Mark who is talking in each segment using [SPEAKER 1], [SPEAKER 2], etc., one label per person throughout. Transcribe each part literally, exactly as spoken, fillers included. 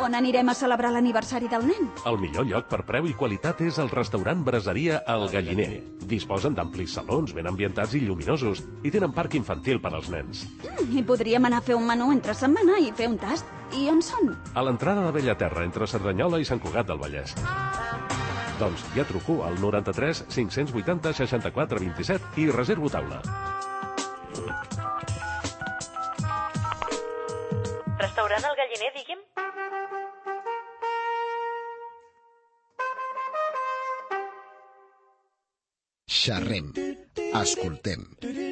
[SPEAKER 1] On anirem a celebrar l'aniversari del nen?
[SPEAKER 2] El millor lloc per preu i qualitat és el restaurant Braseria El Galliner. Disposen d'amplis salons ben ambientats i lluminosos i tenen parc infantil per als nens.
[SPEAKER 1] Mm, I podríem anar a fer un menú entre setmana i fer un tast. I on són?
[SPEAKER 2] A l'entrada de Bellaterra, entre Cerdanyola i Sant Cugat del Vallès. Doncs ja truco al noranta-tres cinc-cents vuitanta seixanta-quatre vint-i-set i reservo taula.
[SPEAKER 3] Restaurant El Galliner, digui'm?
[SPEAKER 4] Xerrem, escoltem,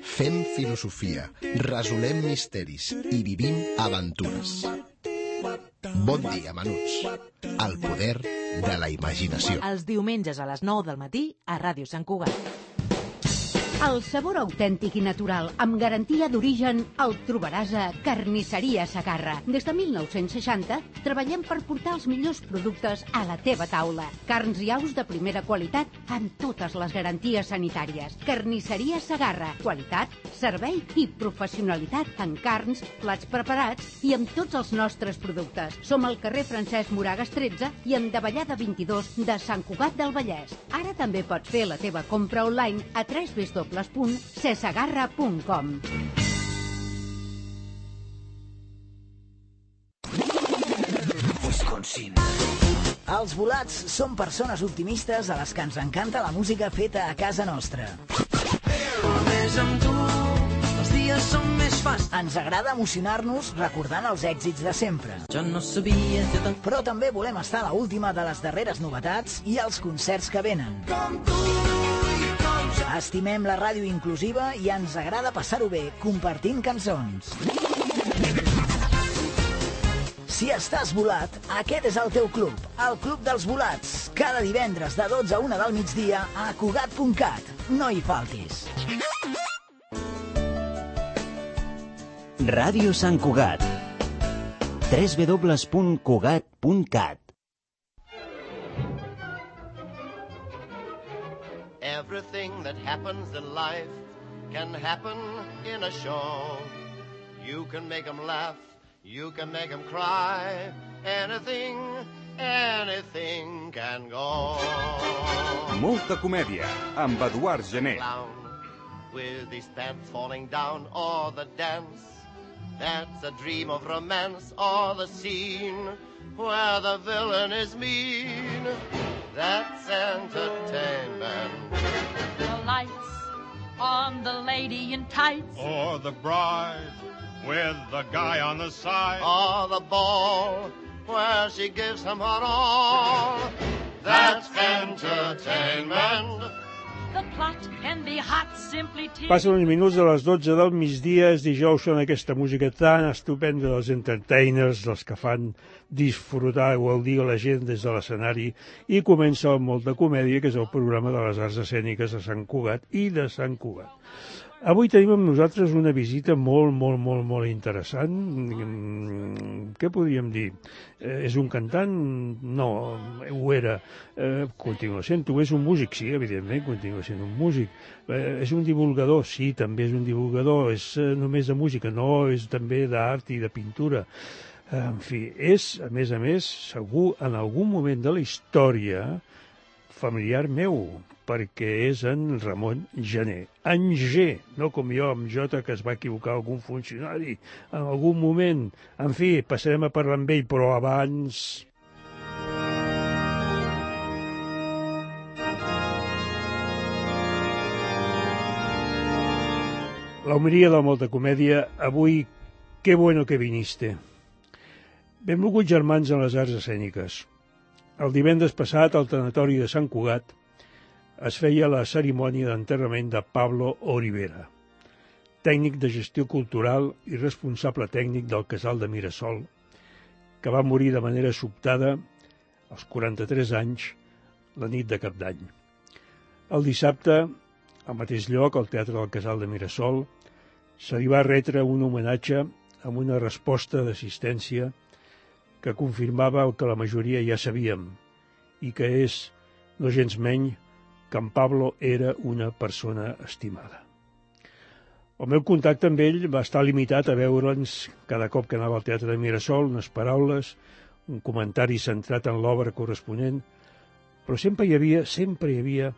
[SPEAKER 4] fem filosofia, resolem misteris i vivim aventures. Bon dia, menuts. El poder de la imaginació.
[SPEAKER 5] Els diumenges a les nou del matí a Ràdio Sant Cugat.
[SPEAKER 6] El sabor autèntic i natural, amb garantia d'origen, el trobaràs a Carnisseria Segarra. Des de mil nou-cents seixanta treballem per portar els millors productes a la teva taula. Carns i aus de primera qualitat amb totes les garanties sanitàries. Carnisseria Segarra. Qualitat, servei i professionalitat en carns, plats preparats i amb tots els nostres productes. Som al carrer Francesc Moragas tretze i en Davallada vint-i-dos de Sant Cugat del Vallès. Ara també pots fer la teva compra online a w w w punt sesegarra punt com.
[SPEAKER 7] Wisconsin. Els volats són persones optimistes a les que ens encanta la música feta a casa nostra. Només amb tu els dies són més fàcils. Ens agrada emocionar-nos recordant els èxits de sempre. Jo no sabia... Però també volem estar a l'última de les darreres novetats i els concerts que venen. Com tu. Estimem la ràdio inclusiva i ens agrada passar-ho bé compartint cançons. Si estàs volat, aquest és el teu club, el Club dels Volats. Cada divendres de dotze a una del migdia a cugat punt cat. No hi faltis.
[SPEAKER 8] Ràdio Sant Cugat. w w w punt cugat punt cat.
[SPEAKER 9] Everything that happens in life can happen in a show. You can make them laugh, you can make them cry. Anything, anything can go.
[SPEAKER 10] Molta comèdia, amb Eduard Gené.
[SPEAKER 9] With his pants falling down, or the dance that's a dream of romance, or the scene where the villain is mean. That's entertainment.
[SPEAKER 11] The lights on the lady in tights,
[SPEAKER 12] or the bride with the guy on the side,
[SPEAKER 9] or the ball where she gives him her all. That's entertainment.
[SPEAKER 11] The plot can be hot, simply tea.
[SPEAKER 13] Passen uns minuts de les dotze del migdia, és dijous, són aquesta música tan estupenda dels entertainers, dels que fan disfrutar o gaudir a la gent des de l'escenari, i comença el Molta Comèdia, que és el programa de les arts escèniques de Sant Cugat i de Sant Cugat. Avui tenim amb nosaltres una visita molt, molt, molt, molt interessant. Què podríem dir? Eh, és un cantant? No, ho era. Eh, continua sent-ho. És un músic? Sí, evidentment, continua sent un músic. Eh, és un divulgador? Sí, també és un divulgador. És eh, només de música? No, és també d'art i de pintura. Eh, en fi, és, a més a més, segur, en algun moment de la història, familiar meu, perquè és en Ramon Gené. En G, no com jo, amb J, que es va equivocar algun funcionari en algun moment. En fi, passarem a parlar amb ell, però abans... La homilia de Molta Comèdia, avui, qué bueno que viniste. Benvolguts germans en les arts escèniques. El divendres passat, al tanatori de Sant Cugat, es feia la cerimònia d'enterrament de Pablo Olivera, tècnic de gestió cultural i responsable tècnic del Casal de Mirasol, que va morir de manera sobtada als quaranta-tres anys, la nit de Cap d'Any. El dissabte, al mateix lloc, al Teatre del Casal de Mirasol, se li va retre un homenatge amb una resposta d'assistència que confirmava el que la majoria ja sabíem, i que és, no gens menys, que en Pablo era una persona estimada. El meu contacte amb ell va estar limitat a veure'ns cada cop que anava al Teatre de Mirasol, unes paraules, un comentari centrat en l'obra corresponent, però sempre hi havia, sempre hi havia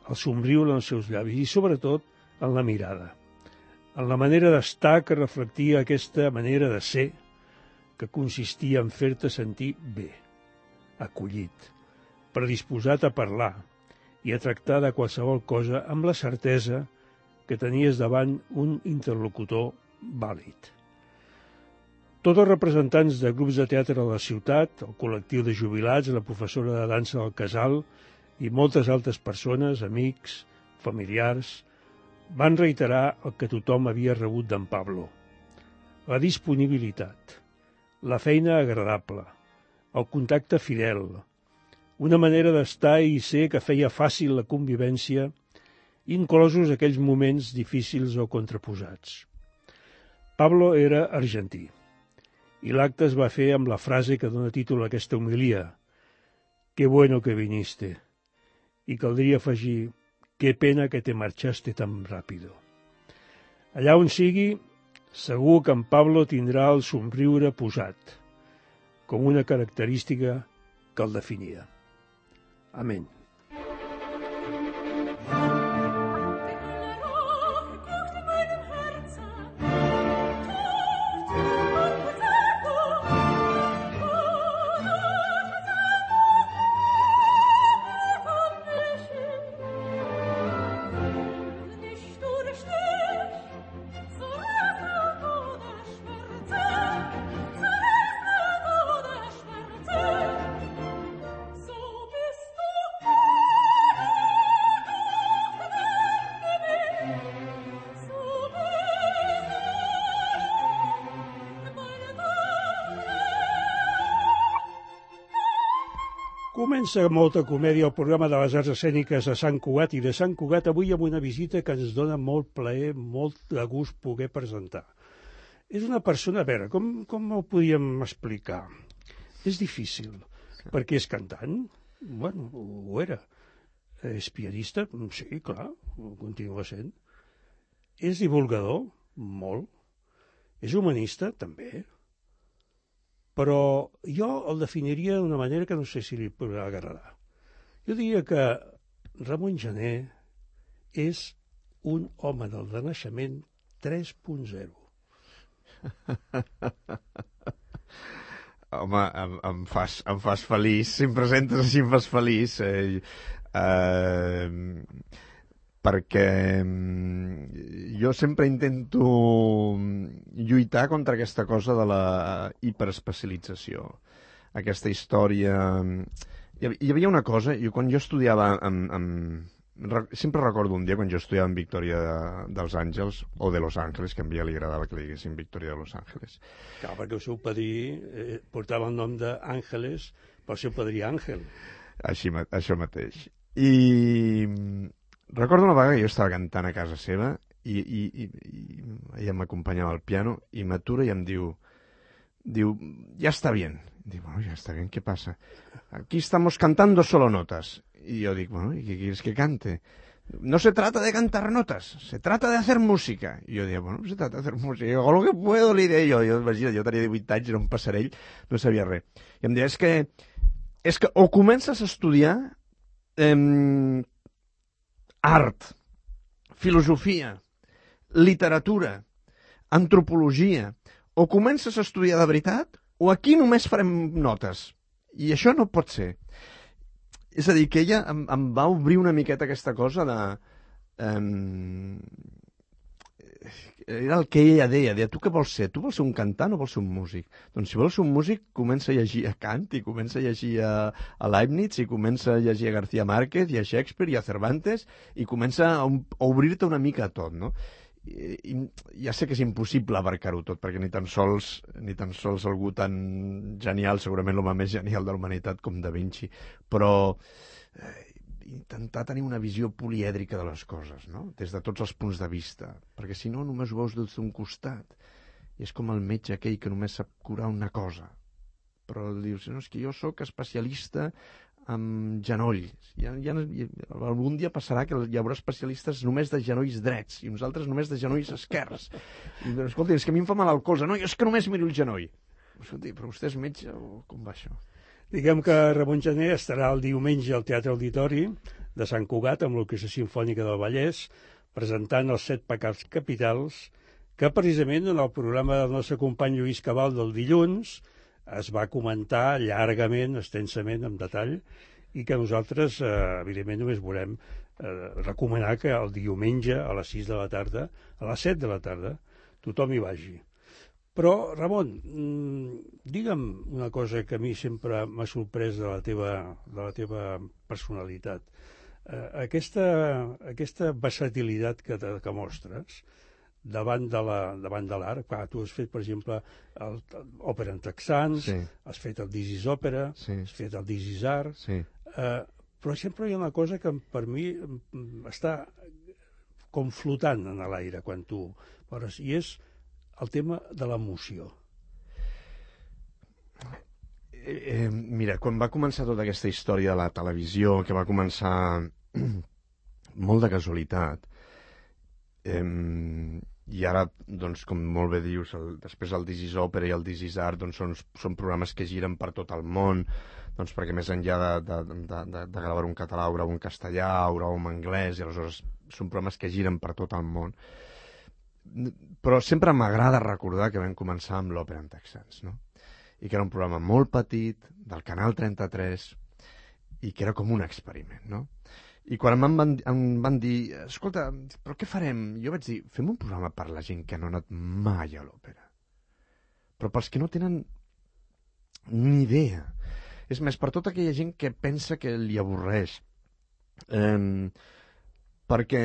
[SPEAKER 13] el somriure en els seus llavis i, sobretot, en la mirada, en la manera d'estar que reflectia aquesta manera de ser que consistia en fer-te sentir bé, acollit, predisposat a parlar i a tractar de qualsevol cosa amb la certesa que tenies davant un interlocutor vàlid. Tots els representants de grups de teatre de la ciutat, el col·lectiu de jubilats, la professora de dansa del casal i moltes altres persones, amics, familiars, van reiterar el que tothom havia rebut d'en Pablo. La disponibilitat, la feina agradable, el contacte fidel, una manera d'estar i ser que feia fàcil la convivència, inclosos aquells moments difícils o contraposats. Pablo era argentí, i l'acte es va fer amb la frase que dona títol a aquesta homilia: «Qué bueno que viniste», i caldria afegir: «Qué pena que te marchaste tan rápido». Allà on sigui, segur que en Pablo tindrà el somriure posat, com una característica que el definia. Amén. Comença molta comèdia al programa de les arts escèniques de Sant Cugat, i de Sant Cugat avui amb una visita que ens dona molt plaer, molt de gust poder presentar. És una persona, a veure, com, com ho podíem explicar? És difícil, perquè és cantant, bueno, ho era. És pianista, sí, clar, ho continua sent. És divulgador, molt. És humanista, també. Però jo el definiria d'una manera que no sé si li podrà agradar. Jo diria que Ramon Gené és un home del renaixement tres punt zero.
[SPEAKER 14] Home, em, em, fas, em fas feliç. Si em presentes així em fas feliç. Eh, eh, perquè jo sempre intento lluitar contra aquesta cosa de la hiperespecialització. Aquesta història... Hi havia una cosa, jo quan jo estudiava amb, amb... sempre recordo un dia quan jo estudiava en Victòria de, dels Àngels, o de Los Ángeles, que a mi li agradava que li diguessin Victòria de Los Ángeles.
[SPEAKER 13] Clar, perquè el seu padrí eh, portava el nom d'Àngeles, pel seu padrí Àngel.
[SPEAKER 14] Així, això mateix. I recordo una vegada que jo estava cantant a casa seva i, i, i, i ella m'acompanyava al piano i m'atura i em diu, diu, ja està bien. Dic, bueno, ja està bien, ¿qué pasa? Aquí estamos cantando solo notas. Y yo digo, bueno, ¿y qué quieres que cante? No se trata de cantar notas, se trata de hacer música. I jo deia, bueno, se trata de hacer música. I hago lo que puedo, li deia jo. Jo, imagina, jo tenia divuit anys, era un passarell, no sabia res. I em deia, és que, és que o comences a estudiar eh, art, filosofia, literatura, antropologia, o comences a estudiar de veritat, o aquí només farem notes. I això no pot ser. És a dir, que ella em, em va obrir una miqueta aquesta cosa de... Um, era el que ella deia, deia, tu què vols ser? Tu vols ser un cantant o vols ser un músic? Doncs si vols ser un músic, comença a llegir a Kant, i comença a llegir a, a Leibniz, i comença a llegir a García Márquez, i a Shakespeare, i a Cervantes, i comença a, a obrir-te una mica a tot, no? I, i ja sé que és impossible abarcar-ho tot, perquè ni tan sols ni tan sols algú tan genial, segurament l'home més genial de la humanitat com Da Vinci, però eh, intentar tenir una visió polièdrica de les coses, no? Des de tots els punts de vista, perquè si no només ho veus des d'un costat, i és com el metge aquell que només sap curar una cosa, però dius, no, és que jo sóc especialista amb genolls. Ja, ja, algun dia passarà que hi haurà especialistes només de genolls drets i nosaltres només de genolls esquerrs. I, escolta, és que a mi em fa mal el colze. No, jo és que només miro el genoll. Escolti, però vostè és metge o com va això?
[SPEAKER 13] Diguem que Ramon Gené estarà el diumenge al Teatre Auditori de Sant Cugat amb l'Orquestra Simfònica del Vallès presentant els set pecats capitals que precisament en el programa del nostre company Lluís Cabal del dilluns es va comentar llargament, extensament, en detall, i que nosaltres, eh, evidentment, només volem eh, recomanar que el diumenge a les sis de la tarda, a les set de la tarda, tothom hi vagi. Però, Ramon, digue'm una cosa que a mi sempre m'ha sorprès de la teva, de la teva personalitat. Eh, aquesta, aquesta versatilitat que, te, que mostres davant de la, davant de l'art, clar, tu has fet, per exemple, el, el, òpera en texans, sí. Has fet el This is Òpera, sí. Has fet el This is Art, sí. eh, però sempre hi ha una cosa que per mi està com flotant en l'aire quan tu veus, i és el tema de l'emoció.
[SPEAKER 14] Eh, eh, mira, quan va començar tota aquesta història de la televisió, que va començar molt de casualitat, eh, i ara, doncs, com molt bé dius, el, després el This is Òpera i el This is Art doncs, són, són programes que giren per tot el món, doncs, perquè més enllà de, de, de, de, de gravar un català o gravar un castellà o gravar un anglès, i aleshores són programes que giren per tot el món. Però sempre m'agrada recordar que vam començar amb l'Òpera en texans, no? I que era un programa molt petit, del Canal trenta-tres, i que era com un experiment, no? I quan em van, em van dir, escolta, però què farem? Jo vaig dir, fem un programa per la gent que no ha anat mai a l'òpera. Però pels que no tenen ni idea. És més, per tota aquella gent que pensa que li avorreix. Eh, perquè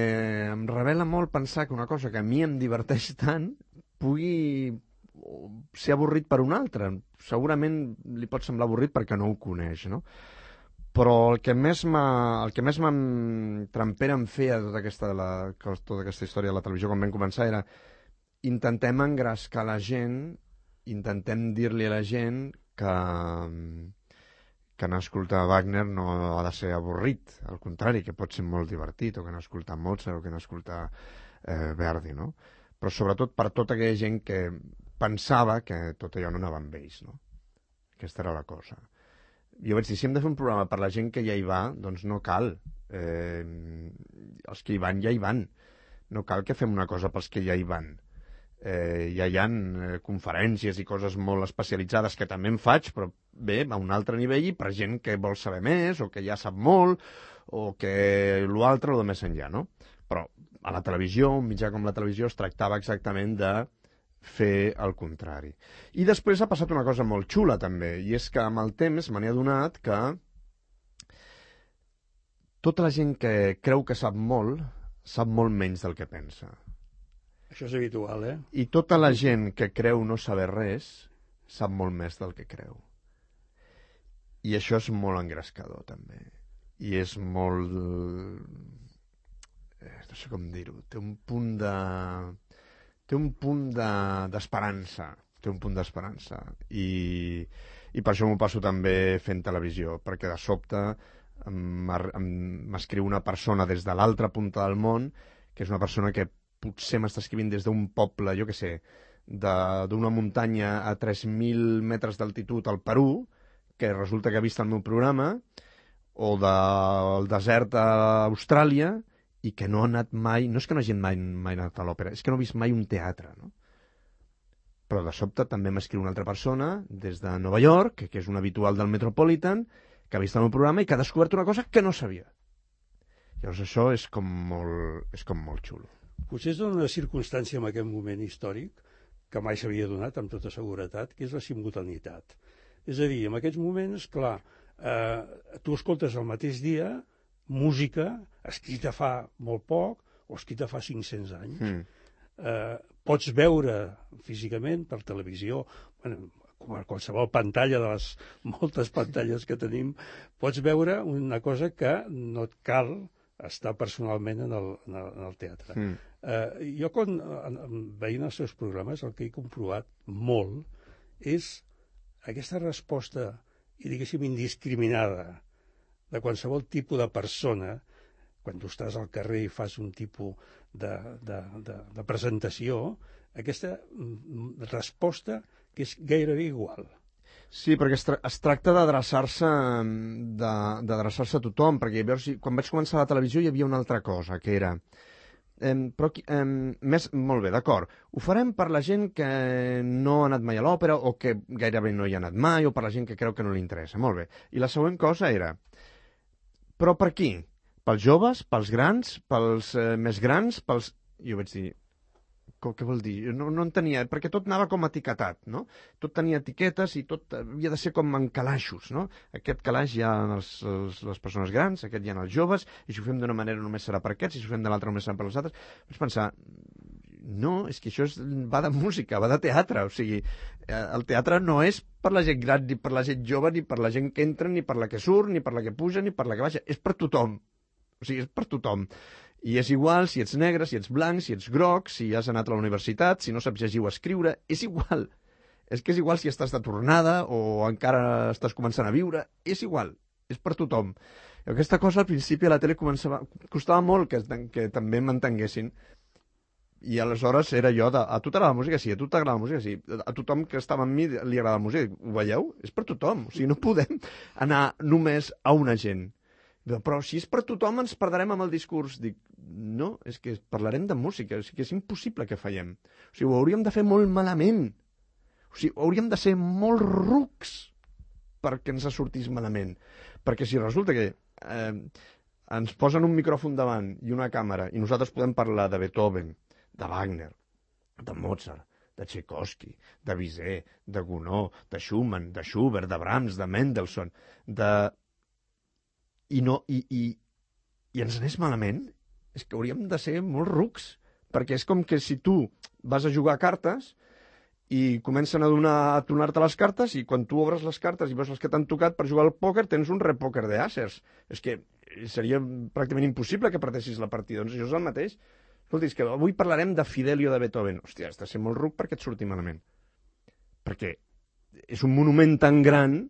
[SPEAKER 14] em revela molt pensar que una cosa que a mi em diverteix tant pugui ser avorrit per un altre. Segurament li pot semblar avorrit perquè no ho coneix, no? Però el que més m'entrampera em feia tota aquesta, la, tota aquesta història de la televisió quan vam començar era intentem engrescar la gent, intentem dir-li a la gent que, que anar a escoltar Wagner no ha de ser avorrit, al contrari, que pot ser molt divertit, o que anar a escoltar Mozart o que anar a escoltar eh, Verdi, no? Però sobretot per tota aquella gent que pensava que tot allò no anava amb ells, no? Aquesta era la cosa. Jo vaig dir, si hem de fer un programa per la gent que ja hi va, doncs no cal. Eh, els que hi van ja hi van. No cal que fem una cosa pels que ja hi van. Eh, ja hi ha eh, conferències i coses molt especialitzades que també en faig, però bé, a un altre nivell i per gent que vol saber més, o que ja sap molt, o que l'altre o de més enllà, no? Però a la televisió, un mitjà com la televisió, es tractava exactament de fer el contrari. I després ha passat una cosa molt xula també, i és que amb el temps me n'he adonat que tota la gent que creu que sap molt, sap molt menys del que pensa.
[SPEAKER 13] Això és habitual, eh?
[SPEAKER 14] I tota la gent que creu no saber res, sap molt més del que creu. I això és molt engrescador, també. I és molt... no sé com dir-ho, té un punt de... té un punt d'esperança, de, té un punt d'esperança, i, i per això m'ho passo també fent televisió, perquè de sobte m'escriu una persona des de l'altra punta del món, que és una persona que potser m'està escrivint des d'un poble, jo què sé, d'una muntanya a tres mil metres d'altitud al Perú, que resulta que ha vist el meu programa, o del desert a Austràlia, i que no ha anat mai, no és que no hagi mai, mai anat a l'òpera, és que no ha vist mai un teatre, no? Però de sobte també m'escriu una altra persona des de Nova York, que és un habitual del Metropolitan, que ha vist el meu programa i que ha descobert una cosa que no sabia. Llavors això és com molt, és com molt xulo.
[SPEAKER 13] Potser és una circumstància en aquest moment històric que mai s'havia donat amb tota seguretat, que és la simultaneïtat. És a dir, en aquests moments, clar, eh, tu escoltes el mateix dia música escrita fa molt poc o escrita fa cinc-cents anys. Mm. Eh, pots veure físicament per televisió, bueno, com a qualsevol pantalla de les moltes pantalles que tenim, pots veure una cosa que no et cal estar personalment en el, en el, en el teatre. Mm. Eh, jo, quan, veient els seus programes, el que he comprovat molt és aquesta resposta, i diguéssim, indiscriminada de qualsevol tipus de persona, quan tu estàs al carrer i fas un tipus de, de, de, de presentació, aquesta resposta que és gairebé igual.
[SPEAKER 14] Sí, perquè es, tra es tracta d'adreçar-se d'adreçar-se a tothom, perquè veus, quan vaig començar a la televisió hi havia una altra cosa, que era... Eh, però, eh, més, molt bé, d'acord, ho farem per la gent que no ha anat mai a l'òpera o que gairebé no hi ha anat mai o per la gent que creu que no li interessa, molt bé. I la següent cosa era, però per qui? Pels joves, pels grans, pels eh, més grans, pels... Jo vaig dir... Què vol dir? No, no entenia, perquè tot anava com etiquetat, no? Tot tenia etiquetes i tot havia de ser com en calaixos, no? Aquest calaix hi ha els, els, les persones grans, aquest hi ha els joves, i si ho fem d'una manera només serà per aquests, i si ho fem de l'altra només serà per els altres. Vaig pensar, no, és que això és, va de música, va de teatre, o sigui, el teatre no és per la gent gran, ni per la gent jove, ni per la gent que entra, ni per la que surt, ni per la que puja, ni per la que baixa, és per tothom. O sigui, és per tothom. I és igual si ets negre, si ets blanc, si ets groc, si has anat a la universitat, si no saps llegir o escriure, és igual. És que és igual si estàs de tornada o encara estàs començant a viure, és igual, és per tothom. I aquesta cosa al principi a la tele començava, costava molt que, que també m'entenguessin. I aleshores era jo de, a tu t'agrada la música? Sí, a tu t'agrada la música? Sí. A tothom que estava amb mi li agrada la música. Ho veieu? És per tothom. O sigui, no podem anar només a una gent. Però si és per tothom ens perdrem amb el discurs. Dic, no, és que parlarem de música, o sigui, és impossible que fallem. O sigui, ho hauríem de fer molt malament. O sigui, hauríem de ser molt rucs perquè ens sortís malament. Perquè si resulta que eh, ens posen un micròfon davant i una càmera i nosaltres podem parlar de Beethoven, de Wagner, de Mozart, de Tchaikovsky, de Bizet, de Gounod, de Schumann, de Schubert, de Brahms, de Mendelssohn, de... I, no, i, i, i ens anés malament, és que hauríem de ser molt rucs, perquè és com que si tu vas a jugar a cartes i comencen a donar a tornar-te les cartes i quan tu obres les cartes i veus les que t'han tocat per jugar al pòquer tens un repòquer d'asers. És que seria pràcticament impossible que perdessis la partida. Doncs això és el mateix. Escolta, és que avui parlarem de Fidelio de Beethoven. Hòstia, has de ser molt ruc perquè et surti malament. Perquè és un monument tan gran,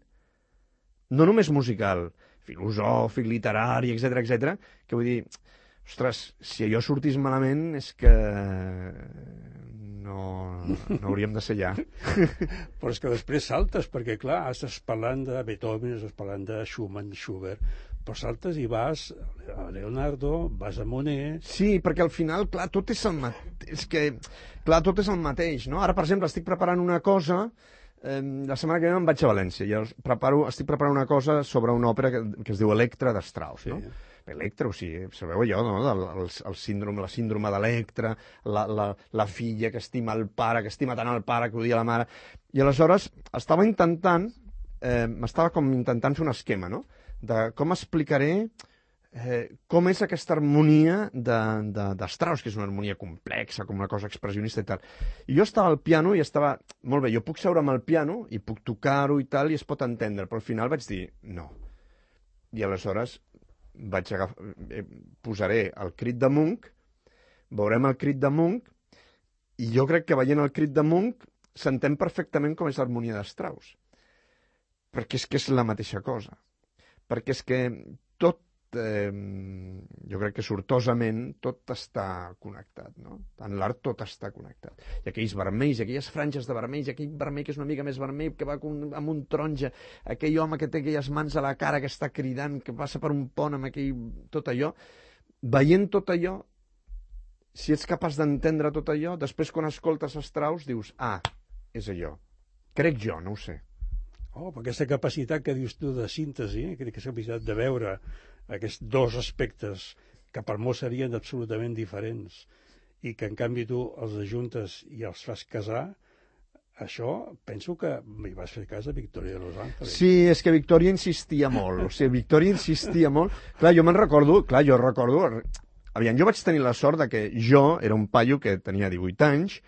[SPEAKER 14] no només musical, filosòfic, literari, etcètera, etcètera, que vull dir, ostres, si allò sortís malament és que no, no hauríem de ser allà.
[SPEAKER 13] Però és que després saltes, perquè clar, estàs parlant de Beethoven, estàs parlant de Schumann, Schubert, però saltes i vas a Leonardo, vas a Monet...
[SPEAKER 14] Sí, perquè al final, clar, tot és el mateix, és que, clar, tot és el mateix, no? Ara, per exemple, estic preparant una cosa... Eh, la setmana que ve em vaig a València i preparo, estic preparant una cosa sobre una òpera que, que es diu Electra de Strauss, sí. No? Electra, o sigui, sabeu allò, no? El, el, el síndrome, la síndrome d'Electra, la, la, la filla que estima el pare, que estima tant el pare que odia la mare, i aleshores estava intentant, eh, m'estava com intentant fer un esquema, no? De com explicaré eh, com és aquesta harmonia de, de, de Strauss, que és una harmonia complexa, com una cosa expressionista i tal. I jo estava al piano i estava... Molt bé, jo puc seure amb el piano i puc tocar-ho i tal, i es pot entendre, però al final vaig dir no. I aleshores vaig agafar... Eh, posaré el crit de Munch, veurem el crit de Munch, i jo crec que veient el crit de Munch s'entén perfectament com és l'harmonia de Strauss. Perquè és que és la mateixa cosa. Perquè és que tot Eh, jo crec que sortosament tot està connectat, no? En l'art tot està connectat. I aquells vermells, aquelles franges de vermells, aquell vermell que és una mica més vermell, que va amb un taronja, aquell home que té aquelles mans a la cara, que està cridant, que passa per un pont amb aquell... tot allò, veient tot allò, si ets capaç d'entendre tot allò, després quan escoltes Strauss dius, ah, és allò. Crec jo, no ho sé.
[SPEAKER 13] Oh, però aquesta capacitat que dius tu de síntesi, aquesta capacitat de veure aquests dos aspectes que per molts serien absolutament diferents i que en canvi tu els ajuntes i els fas casar, això penso que hi vas fer cas a Victoria de Los Ángeles.
[SPEAKER 14] Sí, és que Victoria insistia molt, o sigui, Victoria insistia molt. Clar, jo me'n recordo, clar, jo recordo... Aviam, jo vaig tenir la sort de que jo era un paio que tenia divuit anys,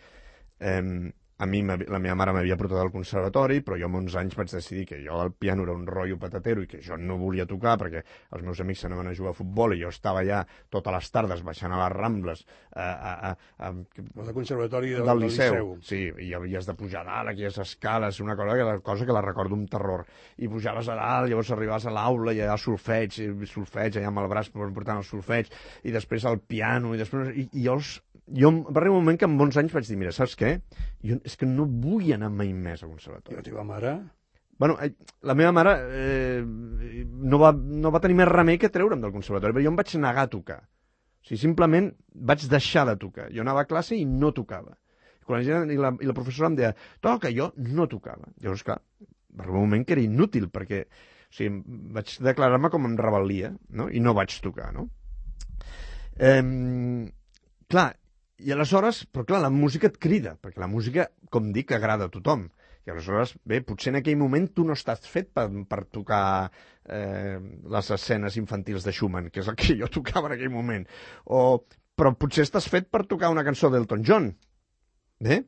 [SPEAKER 14] eh, a mi la meva mare m'havia portat al conservatori, però jo amb onze anys vaig decidir que jo el piano era un rotllo patatero i que jo no volia tocar perquè els meus amics s'anaven a jugar a futbol i jo estava allà totes les tardes baixant a les Rambles a, a, a, a,
[SPEAKER 13] al conservatori del,
[SPEAKER 14] del liceu.
[SPEAKER 13] liceu.
[SPEAKER 14] Sí, i havies de pujar a dalt, aquelles escales, una cosa que, la cosa que la recordo amb terror. I pujaves a dalt, llavors arribaves a l'aula i allà solfeig, solfeig, allà amb el braç portant el solfeig, i després el piano, i després... I, i jo els, jo va arribar un moment que en bons anys vaig dir, mira, saps què? Jo és que no vull anar mai més a conservatori.
[SPEAKER 13] I la teva mare?
[SPEAKER 14] Bueno, la meva mare eh, no, va, no va tenir més remei que treure'm del conservatori, però jo em vaig negar a tocar. O sigui, simplement vaig deixar de tocar. Jo anava a classe i no tocava. Quan la gent, i, la, I la professora em deia, toca, jo no tocava. Llavors, clar, va arribar un moment que era inútil, perquè o sigui, vaig declarar-me com en rebel·lia, no? I no vaig tocar, no? Eh, clar, i aleshores, però clar, la música et crida, perquè la música, com dic, agrada a tothom. I aleshores, bé, potser en aquell moment tu no estàs fet per, per tocar eh, les escenes infantils de Schumann, que és el que jo tocava en aquell moment. O, però potser estàs fet per tocar una cançó d'Elton John, bé?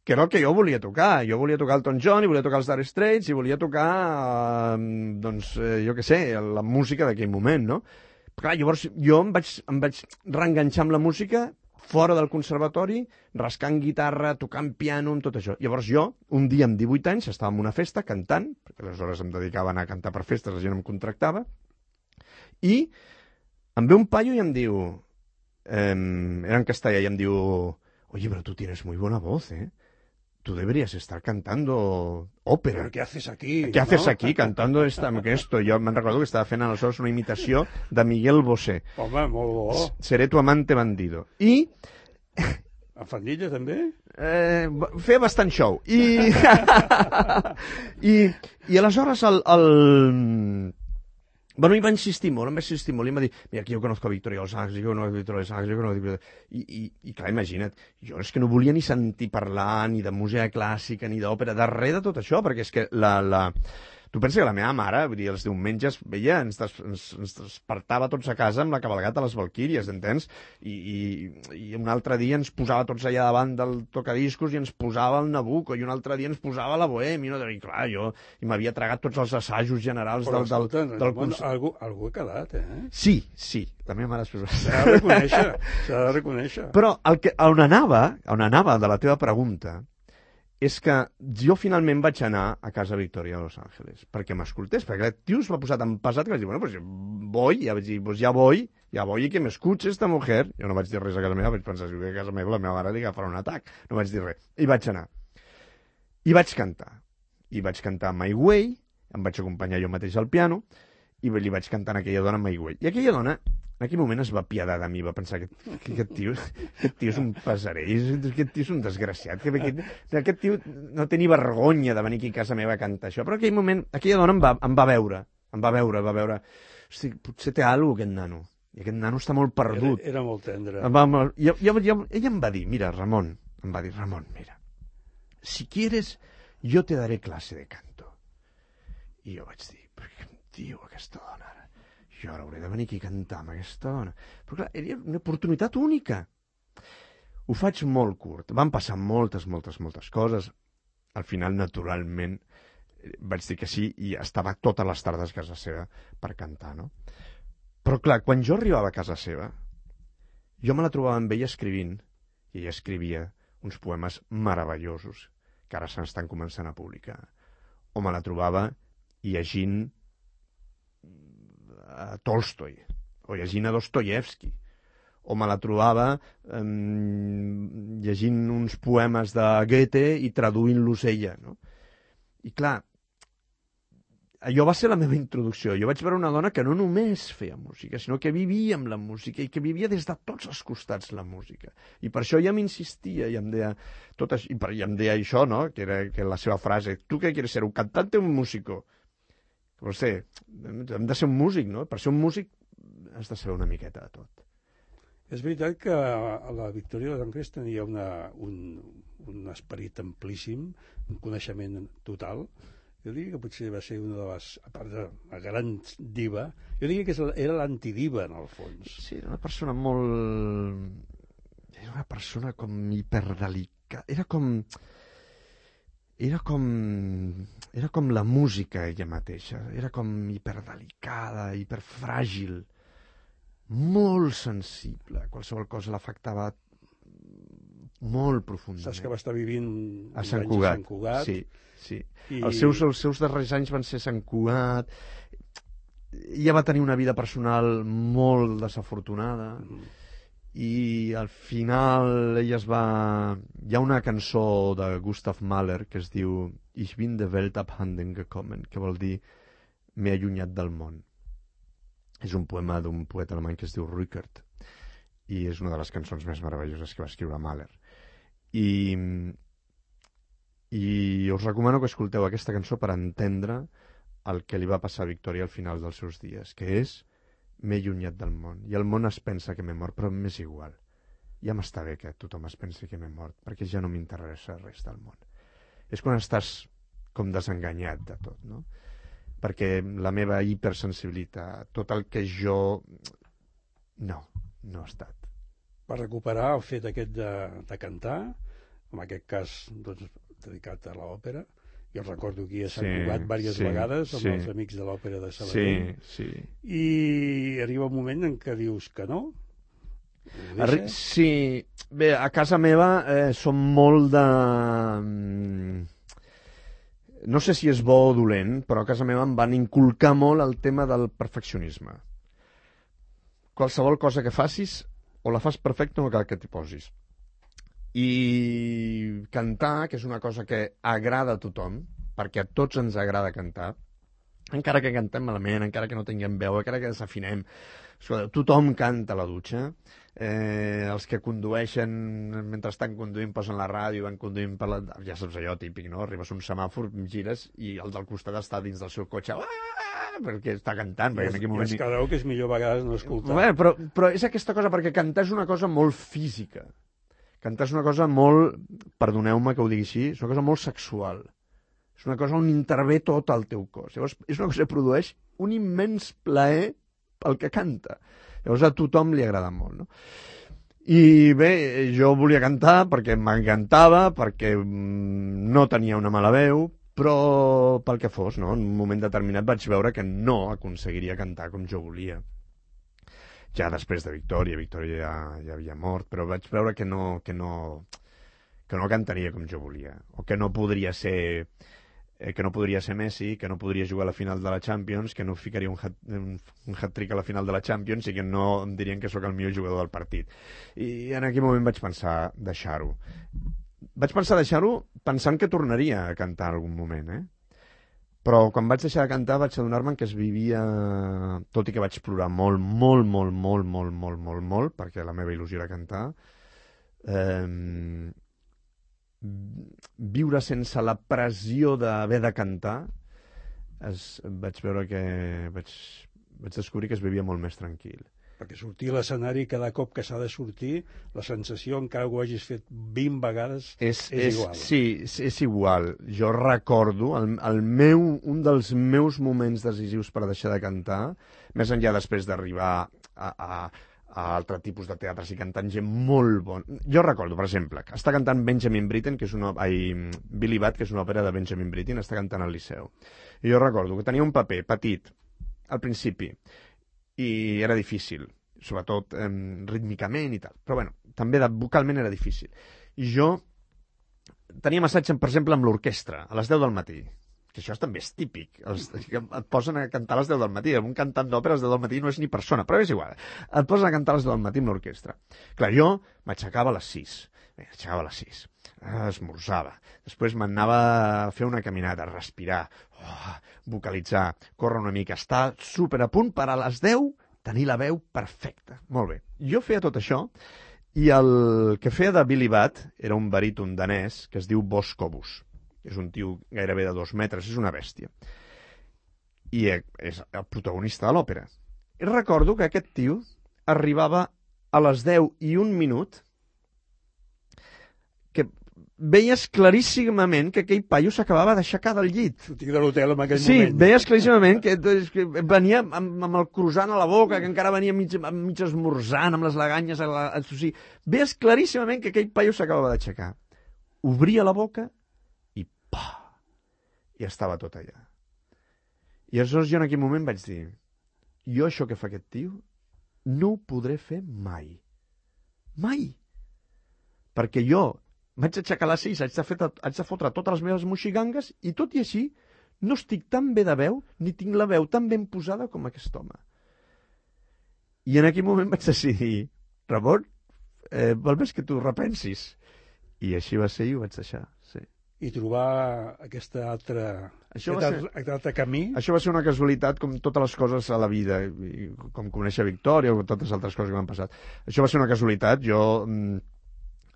[SPEAKER 14] Que era el que jo volia tocar. Jo volia tocar Elton John, i volia tocar els Dire Straits, i volia tocar, eh, doncs, eh, jo què sé, la música d'aquell moment, no? Però, clar, llavors jo em vaig, em vaig reenganxar amb la música fora del conservatori, rascant guitarra, tocant piano, amb tot això. Llavors jo, un dia amb divuit anys, estava en una festa cantant, perquè aleshores em dedicava a anar a cantar per festes, la gent em contractava, i em ve un paio i em diu, eh, era en castellà, i em diu, oye, pero tú tienes muy buena voz, ¿eh? Tú deberías estar cantando ópera.
[SPEAKER 13] ¿Pero qué haces aquí?
[SPEAKER 14] ¿Qué
[SPEAKER 13] ¿no?
[SPEAKER 14] haces aquí cantando esta, esto? Jo me'n recordo que estava fent aleshores una imitació de Miguel Bosé.
[SPEAKER 13] Home, molt bo.
[SPEAKER 14] Seré tu amante bandido. I...
[SPEAKER 13] A Fandilla, també?
[SPEAKER 14] Eh, feia bastant show. I... I, i aleshores el... el... Bueno, i va insistir molt, em va insistir molt, i em va dir, mira, que jo conozco a Victoria Los Ángeles, jo conozco a Victoria Los Ángeles, jo conozco a Victoria... I, i, I clar, imagina't, jo és que no volia ni sentir parlar ni de música clàssica, ni d'òpera, de res de tot això, perquè és que la... la... Tu pensa que la meva mare, vull dir, els diumenges, veia, ens, des, ens, ens despertava tots a casa amb la cabalgata a les Valquíries, entens? I, i, I un altre dia ens posava tots allà davant del tocadiscos i ens posava el Nabucco, i un altre dia ens posava la Bohème, i, no, i clar, jo i m'havia tragat tots els assajos generals
[SPEAKER 13] Però,
[SPEAKER 14] del, del,
[SPEAKER 13] escolta,
[SPEAKER 14] del
[SPEAKER 13] bueno,
[SPEAKER 14] concert.
[SPEAKER 13] algú, algú ha quedat, eh?
[SPEAKER 14] Sí, sí, la meva mare...
[SPEAKER 13] S'ha de reconèixer, s'ha de reconèixer.
[SPEAKER 14] Però el que, on anava, on anava de la teva pregunta, és que jo finalment vaig anar a casa Victoria de Los Ángeles perquè m'escoltés, perquè el tio es va posar tan pesat que vaig dir, bueno, pues voy, ja vaig dir, pues ya voy, ya voy y que m'escuche esta mujer. Jo no vaig dir res a casa meva, vaig pensar, si a casa meva la meva mare li agafarà un atac, no vaig dir res. I vaig anar. I vaig cantar. I vaig cantar My Way, em vaig acompanyar jo mateix al piano, i li vaig cantar a aquella dona My Way. I aquella dona, en aquell moment es va apiadar de mi, va pensar que, que aquest, tio, aquest tio és un pesarell, aquest tio és un desgraciat, que aquest, aquest tio no té ni vergonya de venir aquí a casa meva a cantar això. Però en aquell moment, aquella dona em va, em va veure, em va veure, va veure, hosti, potser té alguna cosa aquest nano, i aquest nano està molt perdut.
[SPEAKER 13] Era, era molt tendre.
[SPEAKER 14] Va, i, i, i, ella em va dir, mira, Ramon, em va dir, Ramon, mira, si quieres, yo te daré clase de canto. I jo vaig dir, però què em diu aquesta dona ara? Jo ara hauré de venir aquí a cantar amb aquesta dona. Però clar, era una oportunitat única. Ho faig molt curt. Van passar moltes, moltes, moltes coses. Al final, naturalment, vaig dir que sí i estava totes les tardes a casa seva per cantar, no? Però clar, quan jo arribava a casa seva, jo me la trobava amb ella escrivint, i ella escrivia uns poemes meravellosos que ara s'estan començant a publicar. O me la trobava llegint a Tolstoi, o llegint a Dostoyevsky, o me la trobava eh, llegint uns poemes de Goethe i traduint-los ella, no? I clar, allò va ser la meva introducció. Jo vaig veure una dona que no només feia música, sinó que vivia amb la música i que vivia des de tots els costats la música. I per això ja m'insistia i em deia, tot això, i, per, i em deia això, no? Que era que la seva frase, tu què quieres ser, un cantante o un músico? No sé, hem de ser un músic, no? Per ser un músic has de saber una miqueta de tot.
[SPEAKER 13] És veritat que la Victoria de Los Ángeles tenia una, un, un esperit amplíssim, un coneixement total. Jo diria que potser va ser una de les, a part de la gran diva, jo diria que era l'antidiva, en el fons.
[SPEAKER 14] Sí, era una persona molt... Era una persona com hiperdelicada. Era com... Era com... Era com la música ella mateixa. Era com hiperdelicada, hiperfràgil, molt sensible. Qualsevol cosa l'afectava molt profundament.
[SPEAKER 13] Saps que va estar vivint
[SPEAKER 14] a Sant Cugat.
[SPEAKER 13] A Sant Cugat.
[SPEAKER 14] Sí, sí.
[SPEAKER 13] I...
[SPEAKER 14] Els, seus, els seus darrers anys van ser Sant Cugat. Ella va tenir una vida personal molt desafortunada. Mm. i al final ella es va... Hi ha una cançó de Gustav Mahler que es diu Ich bin der Welt abhanden gekommen, que vol dir m'he allunyat del món. És un poema d'un poeta alemany que es diu Rückert i és una de les cançons més meravelloses que va escriure Mahler. I, i us recomano que escolteu aquesta cançó per entendre el que li va passar a Victòria al final dels seus dies, que és m'he allunyat del món. I el món es pensa que m'he mort, però m'és igual. Ja m'està bé que tothom es pensi que m'he mort, perquè ja no m'interessa res del món. És quan estàs com desenganyat de tot, no? Perquè la meva hipersensibilitat, tot el que jo... No, no ha estat.
[SPEAKER 13] Per recuperar el fet aquest de, de cantar, en aquest cas doncs, dedicat a l'òpera, jo recordo aquí a Sant sí, Cugat diverses sí, vegades amb sí. els amics de l'òpera de Sabadell.
[SPEAKER 14] Sí, sí.
[SPEAKER 13] I arriba un moment en què dius que no.
[SPEAKER 14] Arri sí, bé, a casa meva eh, som molt de... No sé si és bo o dolent, però a casa meva em van inculcar molt el tema del perfeccionisme. Qualsevol cosa que facis, o la fas perfecta o no cal que t'hi posis. I cantar, que és una cosa que agrada a tothom, perquè a tots ens agrada cantar, encara que cantem malament, encara que no tinguem veu, encara que desafinem, tothom canta a la dutxa, eh, els que condueixen, mentre estan conduint, posen la ràdio, van conduint per la... Ja saps allò típic, no? Arribes a un semàfor, gires, i el del costat està dins del seu cotxe, perquè està cantant.
[SPEAKER 13] I, es, moment... I es quedeu que és millor a vegades no escoltar.
[SPEAKER 14] Bé, però, però és aquesta cosa, perquè cantar és una cosa molt física. Cantar és una cosa molt, perdoneu-me que ho digui així, és una cosa molt sexual. És una cosa on intervé tot el teu cos. Llavors, és una cosa que produeix un immens plaer pel que canta. Llavors, a tothom li agrada molt, no? I bé, jo volia cantar perquè m'encantava, perquè no tenia una mala veu, però pel que fos, no? En un moment determinat vaig veure que no aconseguiria cantar com jo volia. Ja després de Victòria, Victòria ja, ja havia mort, però vaig veure que no, que no, que no cantaria com jo volia, o que no podria ser, eh, que no podria ser Messi, que no podria jugar a la final de la Champions, que no ficaria un, hat, un, un hat-trick a la final de la Champions i que no em dirien que sóc el millor jugador del partit. I en aquell moment vaig pensar deixar-ho. Vaig pensar deixar-ho pensant que tornaria a cantar en algun moment, eh? Però quan vaig deixar de cantar vaig adonar-me que es vivia, tot i que vaig plorar molt, molt, molt, molt, molt, molt, molt, molt, perquè la meva il·lusió era cantar, eh, viure sense la pressió d'haver de cantar, es, vaig veure que vaig, vaig descobrir que es vivia molt més tranquil.
[SPEAKER 13] Perquè sortir a l'escenari cada cop que s'ha de sortir, la sensació, encara que ho hagis fet vint vegades, és, és, és igual.
[SPEAKER 14] Sí, és, és igual. Jo recordo, el, el meu, un dels meus moments decisius per deixar de cantar, més enllà després d'arribar a, a, a altre tipus de teatres i cantant gent molt bon. Jo recordo, per exemple, que està cantant Benjamin Britten, que és una, ai, Billy Budd, que és una òpera de Benjamin Britten, està cantant al Liceu. I jo recordo que tenia un paper petit, al principi, i era difícil, sobretot eh, rítmicament i tal. Però bueno, també de, vocalment era difícil. I jo tenia massatge, per exemple, amb l'orquestra, a les deu del matí. Que això també és típic. Els, et posen a cantar a les deu del matí. Un cantant d'òpera a les deu del matí no és ni persona, però és igual. Et posen a cantar a les deu del matí amb l'orquestra. Clar, jo m'aixecava a les sis. M'aixecava a les sis. Esmorzava. Després m'anava a fer una caminada, a respirar, oh, vocalitzar, córrer una mica, estar super a punt per a les deu tenir la veu perfecta. Molt bé. Jo feia tot això i el que feia de Billy Budd era un baríton danès que es diu Boss Cobus. És un tio gairebé de dos metres, és una bèstia. I és el protagonista de l'òpera. I recordo que aquest tio arribava a les deu i un minut que veies claríssimament que aquell paio s'acabava d'aixecar del llit.
[SPEAKER 13] Sortir de l'hotel en aquell
[SPEAKER 14] sí,
[SPEAKER 13] moment.
[SPEAKER 14] Sí, veies claríssimament que, que venia amb, amb el croissant a la boca, que encara venia mig, mig esmorzant, amb les laganyes a la... O sigui, veies claríssimament que aquell paio s'acabava d'aixecar. Obria la boca i pa! I estava tot allà. I aleshores jo en aquell moment vaig dir, jo això que fa aquest tio no ho podré fer mai. Mai! Perquè jo m'haig d'aixecar a les sis, haig de, fer, haig de fotre totes les meves moxigangues i tot i així no estic tan bé de veu ni tinc la veu tan ben posada com aquest home. I en aquell moment vaig decidir, Ramon, eh, val més que tu repensis. I així va ser i ho vaig deixar, sí.
[SPEAKER 13] I trobar aquesta altra,
[SPEAKER 14] això
[SPEAKER 13] aquest
[SPEAKER 14] ser,
[SPEAKER 13] altre, altre camí...
[SPEAKER 14] Això va ser una casualitat com totes les coses a la vida, i com conèixer Victòria o totes les altres coses que m'han passat. Això va ser una casualitat, jo mm,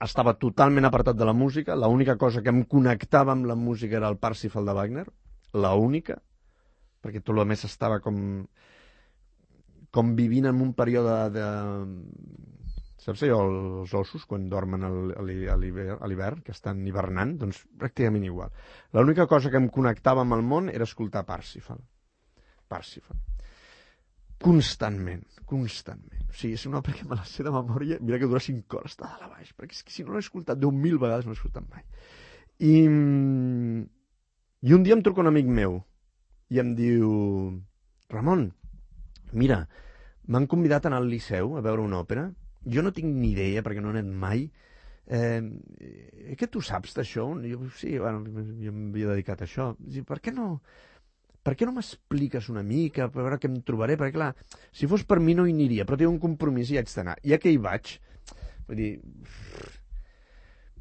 [SPEAKER 14] estava totalment apartat de la música, l'única cosa que em connectava amb la música era el Parsifal de Wagner, l'única, perquè tot el més estava com, com vivint en un període de... Saps allò, els ossos, quan dormen a l'hivern, que estan hivernant, doncs pràcticament igual. L'única cosa que em connectava amb el món era escoltar Parsifal. Parsifal. Constantment, constantment. O sigui, és una obra que me la sé de memòria, mira que dura cinc hores, està dalt a baix, perquè és que si no l'he escoltat deu mil vegades, no l'he escoltat mai. I, I un dia em truca un amic meu i em diu: Ramon, mira, m'han convidat a anar al Liceu a veure una òpera. Jo no tinc ni idea, perquè no he anat mai. Eh, que tu saps d'això? Jo, sí, bueno, jo m'havia dedicat a això. Per què no, per què no m'expliques una mica, per veure què em trobaré? Perquè, clar, si fos per mi no hi aniria, però tinc un compromís i haig d'anar. Ja que hi vaig, vull dir...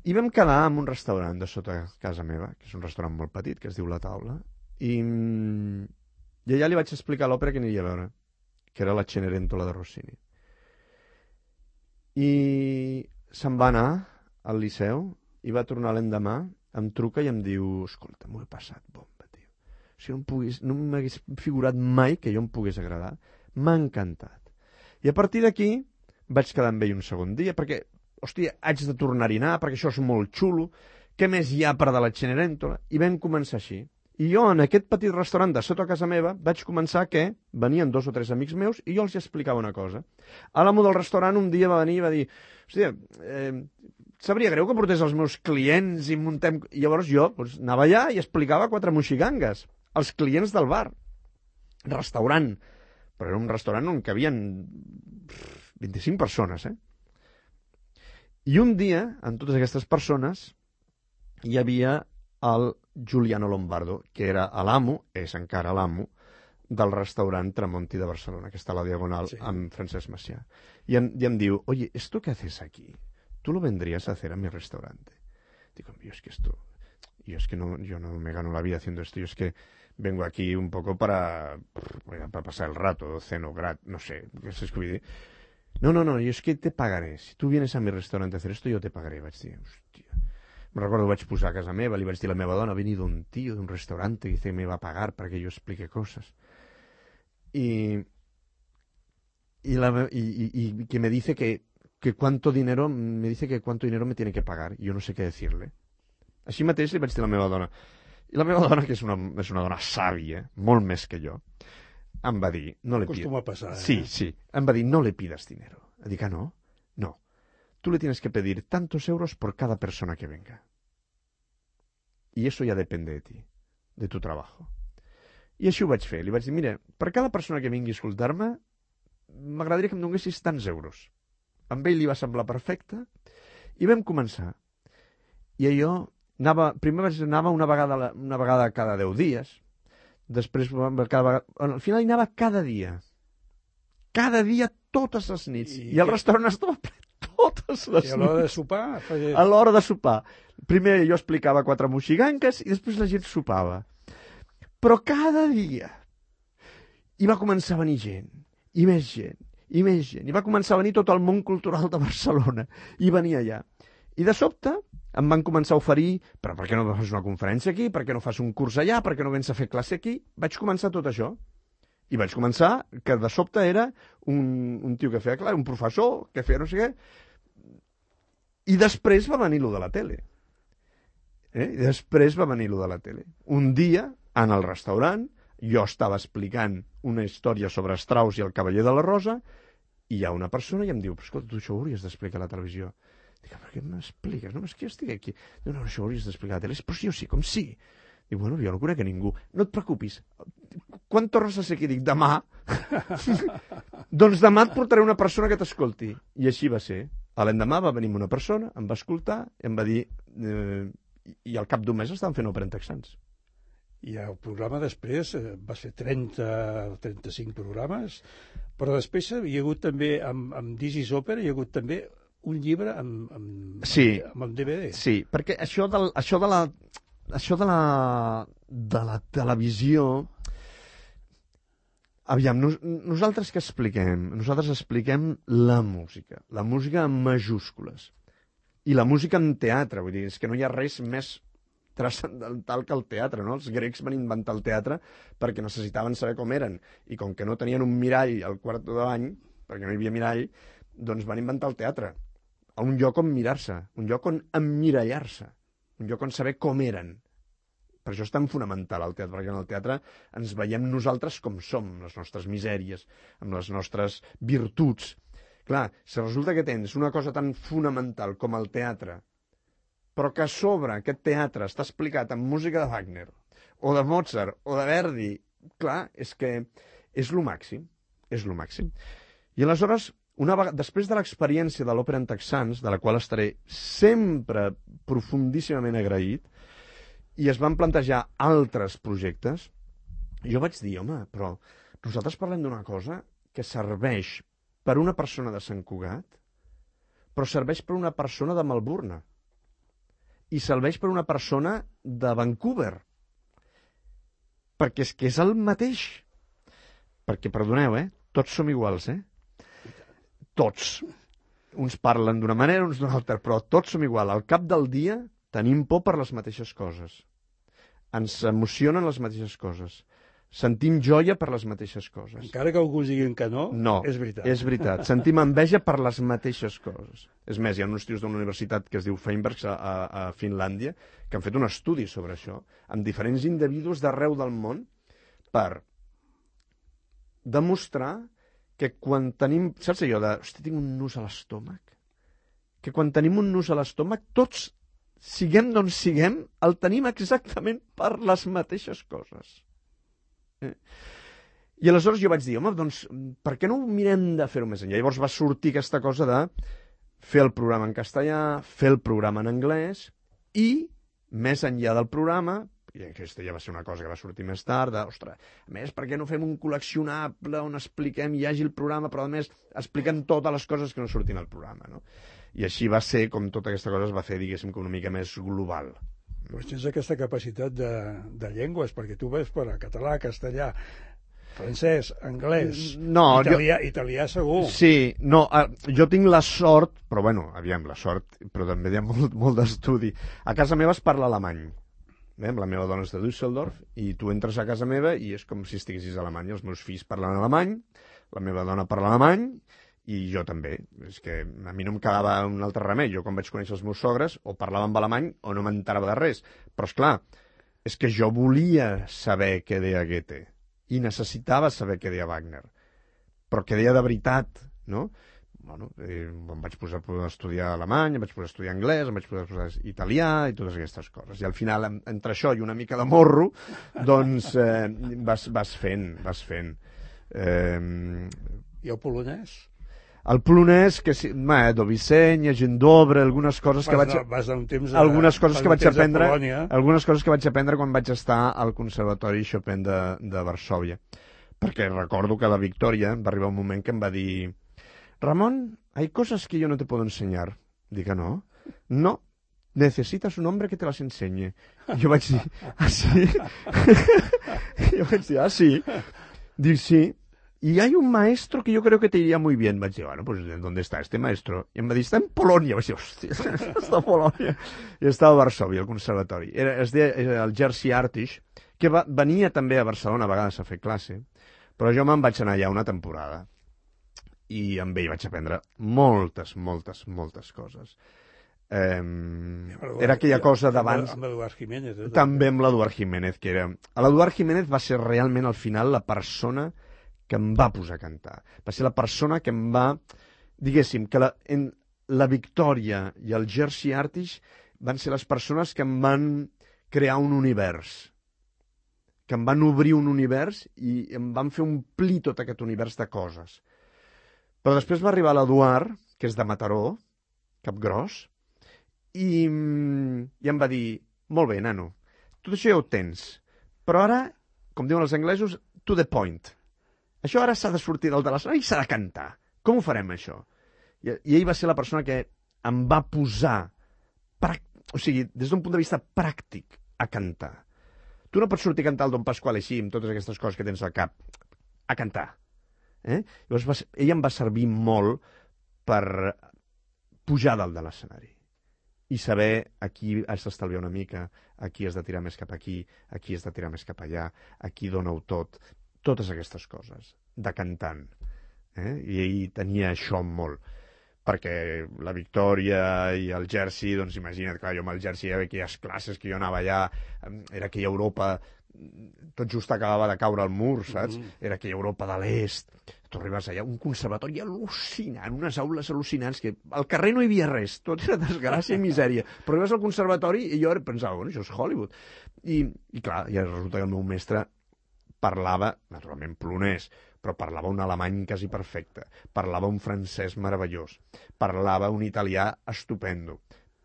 [SPEAKER 14] I vam quedar en un restaurant de sota casa meva, que és un restaurant molt petit, que es diu La Taula, i, i allà li vaig explicar l'òpera que aniria a veure, que era la Cenerentola de Rossini. I se'n va anar al Liceu i va tornar l'endemà, em truca i em diu: escolta, m'ho he passat bomba, tio. O sigui, no, pogués, no m'hagués figurat mai que jo em pogués agradar. M'ha encantat. I a partir d'aquí vaig quedar amb ell un segon dia, perquè, hòstia, haig de tornar-hi anar, perquè això és molt xulo. Què més hi ha per de la Cenerentola? I vam començar així. I jo, en aquest petit restaurant de sota casa meva, vaig començar que venien dos o tres amics meus i jo els explicava una cosa. A l'amo del restaurant un dia va venir i va dir: hòstia, eh, sabria greu que portés els meus clients i muntem... I llavors jo doncs, anava allà i explicava quatre moxigangues als clients del bar. Restaurant. Però era un restaurant on cabien vint-i-cinc persones, eh? I un dia, en totes aquestes persones, hi havia el Giuliano Lombardo, que era l'amo, és encara l'amo, del restaurant Tramonti de Barcelona, que està a la Diagonal, sí, amb Francesc Macià. I em, i em diu: oye, ¿esto qué haces aquí? ¿Tú lo vendrías a hacer a mi restaurante? Digo, yo es que esto, yo es que no, yo no me gano la vida haciendo esto, yo es que vengo aquí un poco para, para pasar el rato, ceno gratis, no sé, què és que vull dir? No, no, no, yo es que te pagaré. Si tú vienes a mi restaurante a hacer esto, yo te pagaré. Vaig dir, hòstia. Me recordo, vaig posar a casa meva, li vaig dir a la meva dona: ha venido un tío de un restaurante que dice que me va a pagar para que yo explique cosas. Y, y, la, y, y, y que me dice que, que cuánto dinero, me dice que cuánto dinero me tiene que pagar. Y yo no sé què decirle. Així mateix li vaig dir a la meva dona. I la meva dona, que és una, és una dona sàvia, molt més que jo, em va dir... No le
[SPEAKER 13] Costuma passar, eh?
[SPEAKER 14] Sí, sí. Em va dir: no le pidas dinero. Dic: ah, no? No. Tú le tienes que pedir tantos euros por cada persona que venga. Y eso ya depende de ti, de tu trabajo. I així ho vaig fer. Li vaig dir: mira, per cada persona que vingui a escoltar-me, m'agradaria que em donessis tants euros. A ell li va semblar perfecte i vam començar. I allò, anava, primer vaig anar una vegada, una vegada cada deu dies, després cada vegada, al final hi anava cada dia. Cada dia, totes les nits. I, I el restaurant estava ple totes les nits.
[SPEAKER 13] I a l'hora de sopar? Feia...
[SPEAKER 14] A l'hora de sopar. Primer jo explicava quatre moxiganques i després la gent sopava. Però cada dia i va començar a venir gent, i més gent, i més gent. I va començar a venir tot el món cultural de Barcelona. I venia allà. I de sobte em van començar a oferir: però per què no fas una conferència aquí? Per què no fas un curs allà? Per què no vens a fer classe aquí? Vaig començar tot això. I vaig començar que de sobte era un, un tio que feia clar, un professor que feia no sé què. I després va venir lo de la tele. Eh? I després va venir lo de la tele. Un dia, en el restaurant, jo estava explicant una història sobre Strauss i el Cavaller de la Rosa, i hi ha una persona i em diu: però escolta, tu això ho hauries d'explicar a la televisió. Dic: per què m'expliques? No, és que jo estic aquí. No, no, això ho hauries d'explicar a la tele. Però jo sí, com sí. Dic: bueno, jo no conec a ningú. No et preocupis. Quan tornes a ser aquí? Dic: demà. Doncs demà et portaré una persona que t'escolti. I així va ser. A l'endemà va venir una persona, em va escoltar, em va dir... Eh, i al cap d'un mes estaven fent òpera en texans.
[SPEAKER 13] I el programa després va ser trenta o trenta-cinc programes, però després hi ha hagut també, amb, amb This is Opera, hi ha hagut també un llibre amb, amb,
[SPEAKER 14] sí,
[SPEAKER 13] amb el D V D.
[SPEAKER 14] Sí, perquè això, del, això de la això de la de la televisió, aviam, nos, nosaltres què expliquem? Nosaltres expliquem la música, la música en majúscules, i la música en teatre, vull dir, és que no hi ha res més transcendental que el teatre, no? Els grecs van inventar el teatre perquè necessitaven saber com eren, i com que no tenien un mirall al quart de bany, perquè no hi havia mirall, doncs van inventar el teatre, a un lloc on mirar-se, un lloc on emmirallar-se, un lloc on saber com eren. Per això és tan fonamental el teatre, perquè en el teatre ens veiem nosaltres com som, amb les nostres misèries, amb les nostres virtuts. Clar, si resulta que tens una cosa tan fonamental com el teatre, però que a sobre aquest teatre està explicat amb música de Wagner, o de Mozart, o de Verdi, clar, és que és lo màxim, és lo màxim. I aleshores, una vegada, després de l'experiència de l'òpera en texans, de la qual estaré sempre profundíssimament agraït, i es van plantejar altres projectes, jo vaig dir, home, però nosaltres parlem d'una cosa que serveix per una persona de Sant Cugat, però serveix per una persona de Melbourne, i serveix per una persona de Vancouver, perquè és que és el mateix. Perquè, perdoneu, eh? Tots som iguals, eh? Tots. Uns parlen d'una manera, uns d'una altra, però tots som igual. Al cap del dia tenim por per les mateixes coses. Ens emocionen les mateixes coses. Sentim joia per les mateixes coses.
[SPEAKER 13] Encara que algú diguin que no,
[SPEAKER 14] no,
[SPEAKER 13] és veritat.
[SPEAKER 14] és veritat. Sentim enveja per les mateixes coses. És més, hi ha uns tios d'una universitat que es diu Feinberg a, a, a Finlàndia que han fet un estudi sobre això, amb diferents individus d'arreu del món, per demostrar que quan tenim... Saps allò de... Hosti, tinc un nus a l'estómac? Que quan tenim un nus a l'estómac, tots, siguem d'on siguem, el tenim exactament per les mateixes coses. Eh? I aleshores jo vaig dir, home, doncs, per què no mirem de fer-ho més enllà? Llavors va sortir aquesta cosa de fer el programa en castellà, fer el programa en anglès, i, més enllà del programa, i aquesta ja va ser una cosa que va sortir més tard, de, ostres, a més, per què no fem un col·leccionable on expliquem, hi hagi el programa, però a més expliquem totes les coses que no surtin al programa, no? I així va ser com tota aquesta cosa es va fer, diguéssim, com una mica més global.
[SPEAKER 13] Doncs tens aquesta capacitat de, de llengües, perquè tu ves per a català, castellà, francès, anglès,
[SPEAKER 14] no,
[SPEAKER 13] italià,
[SPEAKER 14] jo...
[SPEAKER 13] italià segur.
[SPEAKER 14] Sí, no, jo tinc la sort, però bueno, aviam, la sort, però també hi ha molt, molt d'estudi. A casa meva es parla alemany. Bé, la meva dona és de Düsseldorf i tu entres a casa meva i és com si estiguessis a Alemanya. Els meus fills parlen alemany, la meva dona parla alemany i jo també. És que a mi no em quedava un altre remei. Jo quan vaig conèixer els meus sogres o parlava en alemany o no m'enterava de res. Però és clar, és que jo volia saber què deia Goethe i necessitava saber què deia Wagner. Però què deia de veritat, no? Bueno, eh, em vaig posar a estudiar alemany, em vaig posar a estudiar anglès, em vaig posar a estudiar italià i totes aquestes coses. I al final, entre això i una mica de morro, doncs eh, vas, vas fent, vas fent. Eh...
[SPEAKER 13] I el polonès?
[SPEAKER 14] El polonès, que sí, ma, do Vicenya, gent d'Obre, algunes coses que
[SPEAKER 13] vas
[SPEAKER 14] vaig...
[SPEAKER 13] De, vas d'un temps a,
[SPEAKER 14] algunes coses que vaig aprendre, algunes coses que vaig aprendre quan vaig estar al Conservatori Chopin de, de Varsòvia. Perquè recordo que la Victòria va arribar un moment que em va dir: Ramón, hay cosas que yo no te puedo enseñar. Diga, no. No, necesitas un hombre que te las enseñe. I jo vaig dir, ah, sí? jo vaig dir, ah, sí? Dic, sí. Y hay un maestro que yo creo que te iría muy bien. Vaig dir, bueno, pues ¿dónde está este maestro? I em va dir, està en Polònia. Vaig dir, hòstia, està a Polònia. I estava a Varsòvia, al conservatori. Era, es deia el Jerzy Artish, que va, venia també a Barcelona a vegades a fer classe, però jo me'n vaig anar allà una temporada. I amb ell vaig aprendre moltes, moltes, moltes coses. Eh, era aquella cosa d'abans...
[SPEAKER 13] Amb l'Eduard Jiménez. Eh?
[SPEAKER 14] També amb l'Eduard Jiménez, que era... L'Eduard Jiménez va ser realment, al final, la persona que em va posar a cantar. Va ser la persona que em va... Diguéssim, que la, en, la Victòria i el Jerzy Artish van ser les persones que em van crear un univers. Que em van obrir un univers i em van fer omplir tot aquest univers de coses. Però després va arribar l'Eduard, que és de Mataró, Capgròs, i, i em va dir, molt bé, nano, tot això ja ho tens, però ara, com diuen els anglesos, to the point. Això ara s'ha de sortir del de l'escenari i s'ha de cantar. Com ho farem, això? I, i ell va ser la persona que em va posar, o sigui, des d'un punt de vista pràctic, a cantar. Tu no pots sortir a cantar el Don Pasquale així, amb totes aquestes coses que tens al cap, a cantar. Eh? Llavors, va, ell em va servir molt per pujar dalt de l'escenari i saber a qui has d'estalviar una mica, a qui has de tirar més cap aquí, a qui has de tirar més cap allà, a qui dona-ho tot, totes aquestes coses, de cantant. Eh? I ell tenia això molt, perquè la Victòria i el Jersey, doncs imagina't, clar, jo amb el Jersey hi havia aquelles classes que jo anava allà, era aquella Europa, tot just acabava de caure al mur, saps? Mm-hmm. Era aquella Europa de l'Est, tu arribes allà, un conservatori al·lucinant, unes aules al·lucinants, que al carrer no hi havia res, tot era desgràcia i misèria, però arribes al conservatori i jo pensava, bueno, això és Hollywood. I, i clar, ja resulta que el meu mestre parlava, naturalment polonès, però parlava un alemany quasi perfecte, parlava un francès meravellós, parlava un italià estupendo,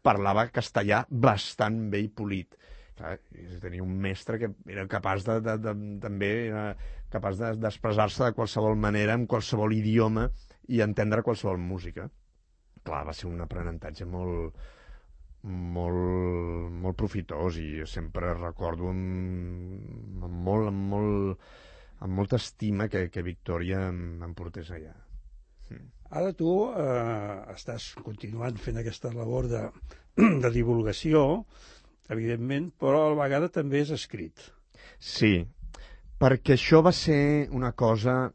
[SPEAKER 14] parlava castellà bastant bé i polit. Clar, tenia un mestre que era capaç de, de, de, també era capaç d'expressar-se de qualsevol manera, en qualsevol idioma, i entendre qualsevol música. Clar, va ser un aprenentatge molt, molt, molt profitós, i sempre recordo amb, amb molt, amb molt, amb molta estima que, que Victòria em, em portés allà. Mm.
[SPEAKER 13] Ara tu eh, estàs continuant fent aquesta labor de, de divulgació, evidentment, però a la vegada també és escrit.
[SPEAKER 14] Sí, perquè això va ser una cosa...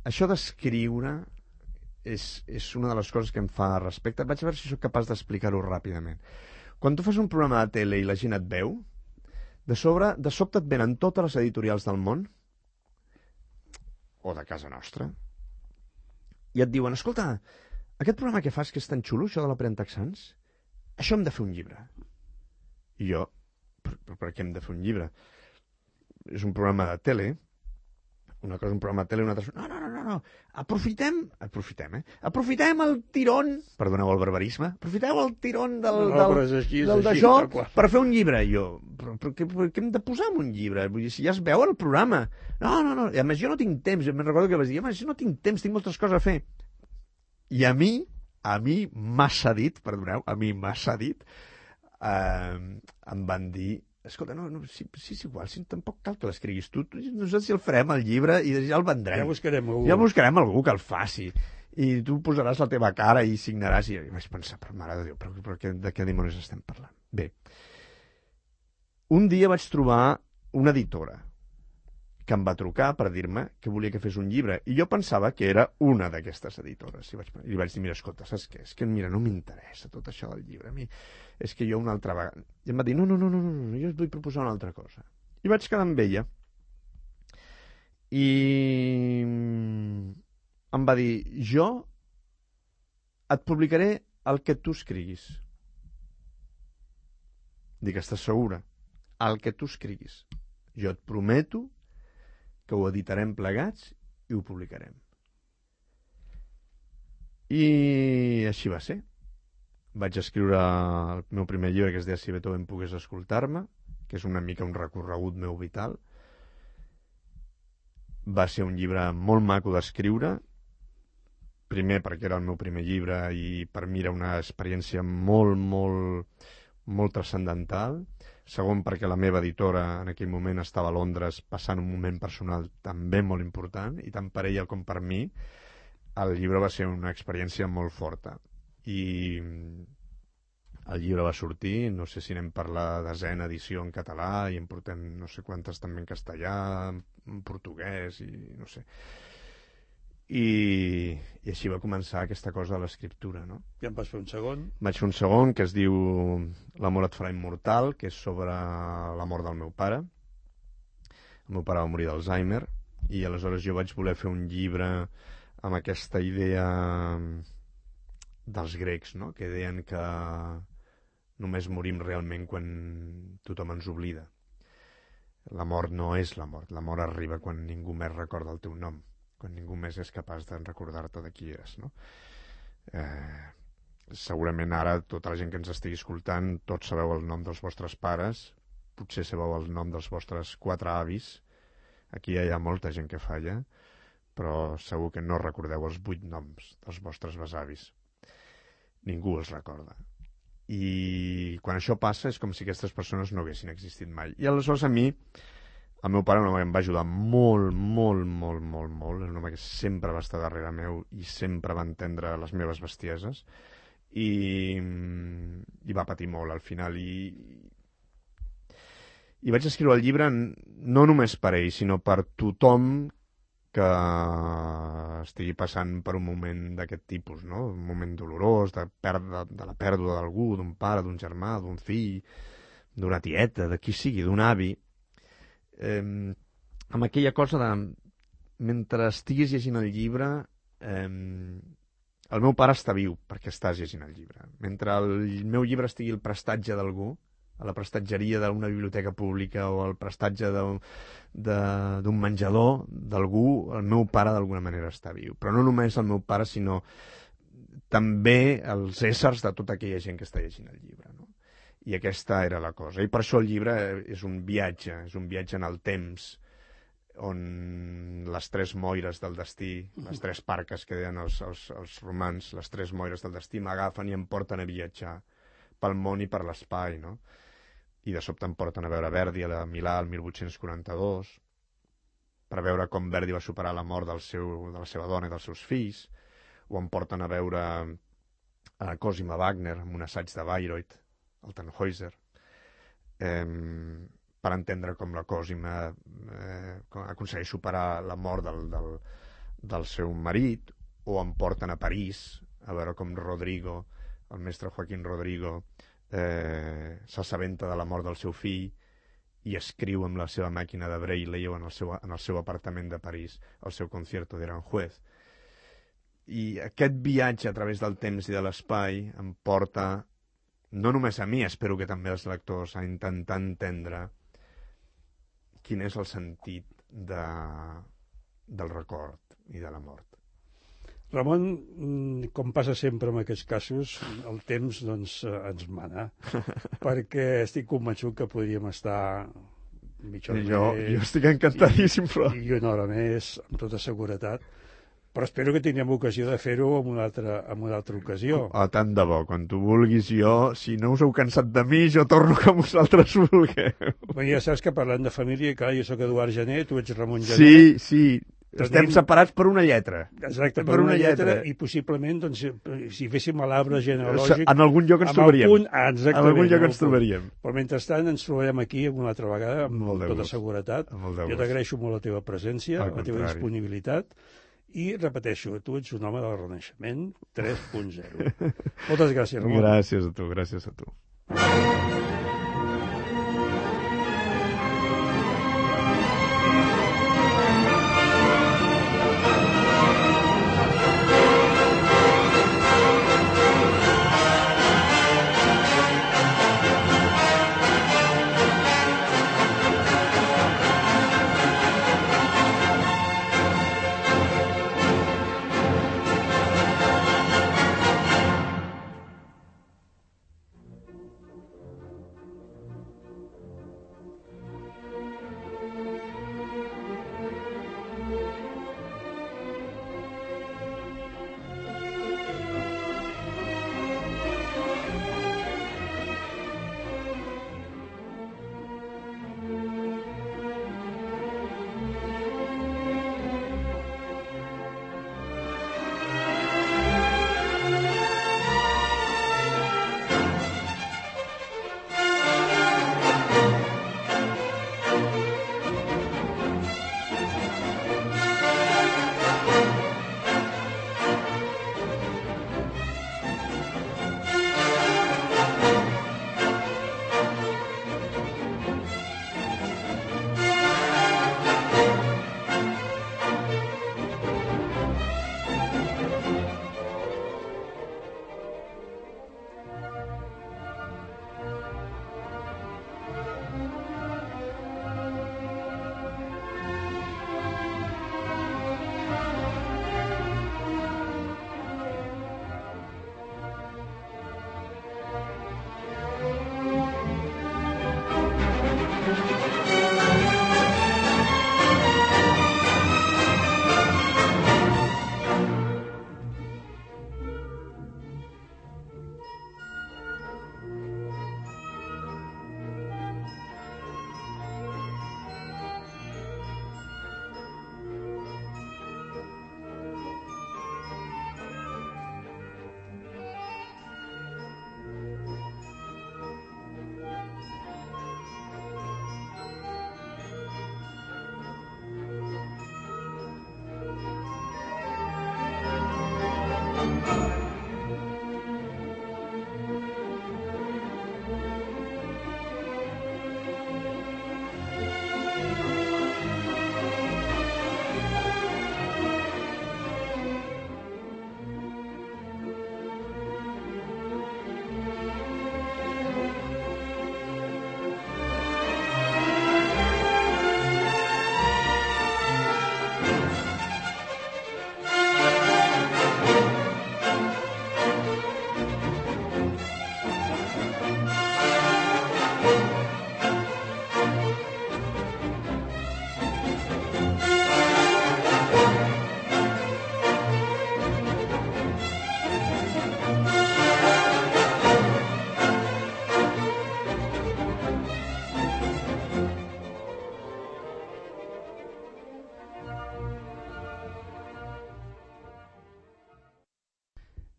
[SPEAKER 14] Això d'escriure és, és una de les coses que em fa respecte. Vaig a veure si sóc capaç d'explicar-ho ràpidament. Quan tu fas un programa de tele i la gent et veu, de, sobre, de sobte et venen totes les editorials del món, o de casa nostra, i et diuen, escolta, aquest programa que fas que és tan xulo, això de la Prentaxans, això hem de fer un llibre. I jo, per, per, per què hem de fer un llibre? És un programa de tele, una cosa és un programa de tele, una altra... No, no, no, no, no. Aprofitem, aprofitem, eh? Aprofitem el tirón, perdoneu el barbarisme, aprofiteu el tirón del,
[SPEAKER 13] no,
[SPEAKER 14] del,
[SPEAKER 13] així,
[SPEAKER 14] del
[SPEAKER 13] així,
[SPEAKER 14] d'això per fer un llibre. I jo, però, però, què, però què hem de posar en un llibre? Vull dir, si ja es veu el programa. No, no, no, i a més jo no tinc temps, me'n recordo que vaig dir, home, jo no tinc temps, tinc moltes coses a fer. I a mi, a mi m'ha cedit, perdoneu, a mi m'ha cedit, eh, em van dir, escolta, no, no, sí, sí, és igual, si tampoc cal que l'escriguis tu, nosaltres si el farem el llibre i ja el vendrem.
[SPEAKER 13] Ja buscarem algú.
[SPEAKER 14] Ja buscarem algú que el faci. I tu posaràs la teva cara i signaràs. I vaig pensar, però mare de Déu, però, però de què dimonis estem parlant? Bé, un dia vaig trobar una editora que em va trucar per dir-me que volia que fes un llibre, i jo pensava que era una d'aquestes editores. I, vaig, i li vaig dir, mira, escolta, saps què? És que, mira, no m'interessa tot això del llibre. A mi és que jo una altra vegada... I em va dir, no, no, no, no, no, jo us vull proposar una altra cosa. I vaig quedar amb ella. I em va dir, jo et publicaré el que tu escriguis. Dic, estàs segura? El que tu escriguis. Jo et prometo que ho editarem plegats i ho publicarem. I així va ser. Vaig escriure el meu primer llibre, que es deia Si Beethoven pogués escoltar-me, que és una mica un recorregut meu vital. Va ser un llibre molt maco d'escriure, primer perquè era el meu primer llibre i per mi era una experiència molt, molt, molt transcendental. Segon, perquè la meva editora en aquell moment estava a Londres passant un moment personal també molt important, i tant per ella com per mi el llibre va ser una experiència molt forta. I el llibre va sortir, no sé si anem per la desena edició en català, i en portem no sé quantes també en castellà, en portuguès, i no sé... I, i així va començar aquesta cosa de l'escriptura, no?
[SPEAKER 13] I em vas fer un segon?
[SPEAKER 14] Vaig fer un segon, que es diu L'amor et farà immortal, que és sobre la mort del meu pare. El meu pare va morir d'Alzheimer, i aleshores jo vaig voler fer un llibre amb aquesta idea dels grecs, no? Que deien que només morim realment quan tothom ens oblida. La mort no és la mort, la mort arriba quan ningú més recorda el teu nom, quan ningú més és capaç de recordar-te de qui eres, no? Eh, segurament ara tota la gent que ens estigui escoltant, tots sabeu el nom dels vostres pares, potser sabeu el nom dels vostres quatre avis, aquí hi ha molta gent que falla, però segur que no recordeu els vuit noms dels vostres besavis. Ningú els recorda. I quan això passa és com si aquestes persones no haguessin existit mai. I aleshores a mi, el meu pare, un home que em va ajudar molt, molt, molt, molt, molt, un home que sempre va estar darrere meu i sempre va entendre les meves bestieses, i, i va patir molt al final. I, i vaig escriure el llibre no només per ell, sinó per tothom que estigui passant per un moment d'aquest tipus, no? Un moment dolorós, de, perda, de la pèrdua d'algú, d'un pare, d'un germà, d'un fill, d'una tieta, de qui sigui, d'un avi. Eh, amb aquella cosa de, mentre estiguis llegint el llibre, eh, el meu pare està viu perquè estàs llegint el llibre. Mentre el meu llibre estigui al prestatge d'algú, a la prestatgeria d'una biblioteca pública o al prestatge d'un menjador d'algú, el meu pare d'alguna manera està viu. Però no només el meu pare, sinó també els éssers de tota aquella gent que està llegint el llibre, no? I aquesta era la cosa. I per això el llibre és un viatge, és un viatge en el temps, on les tres moires del destí, les tres parques que deien els, els, els romans, les tres moires del destí m'agafen i em porten a viatjar pel món i per l'espai, no? I de sobte em porten a veure Verdi a Milà el mil vuit-cents quaranta-dos, per veure com Verdi va superar la mort del seu, de la seva dona i dels seus fills, o em porten a veure a Cosima Wagner amb un assaig de Bayreuth, el Tannhäuser, eh, per entendre com la Cosima eh, aconsegueix superar la mort del, del, del seu marit, o em porten a París a veure com Rodrigo, el mestre Joaquín Rodrigo, eh, s'assabenta de la mort del seu fill i escriu amb la seva màquina de Braille en el seu, en el seu apartament de París el seu concierto d'Aranjuez. I aquest viatge a través del temps i de l'espai em porta, no només a mi, espero que també als lectors, a intentar entendre quin és el sentit de, del record i de la mort.
[SPEAKER 13] Ramon, com passa sempre en aquests casos, el temps doncs, ens mana, perquè estic convençut que podríem estar mitja hora
[SPEAKER 14] jo,
[SPEAKER 13] més...
[SPEAKER 14] Jo estic encantadíssim, però...
[SPEAKER 13] I, I una hora més, amb tota seguretat. Però espero que tinguem ocasió de fer-ho en una altra, en una altra ocasió.
[SPEAKER 14] Oh, tant de bo, quan tu vulguis jo, si no us heu cansat de mi, jo torno que vosaltres vulgueu.
[SPEAKER 13] Bé, ja saps que parlant de família, clar, jo soc Eduard Gené, tu ets Ramon Gené.
[SPEAKER 14] Sí, sí. Estem separats per una lletra.
[SPEAKER 13] Exacte, per, per una, una lletra, lletra, i possiblement, doncs, si féssim l'arbre genealògic...
[SPEAKER 14] En algun lloc ens trobaríem.
[SPEAKER 13] Punt, exactament.
[SPEAKER 14] En algun lloc ens trobaríem.
[SPEAKER 13] Però mentrestant ens trobarem aquí una altra vegada, amb molt tota seguretat. Jo t'agraeixo molt la teva presència, la teva disponibilitat, i repeteixo, tu ets un home del Renaixement tres punt zero. Moltes gràcies, Ramon.
[SPEAKER 14] Gràcies a tu, gràcies a tu.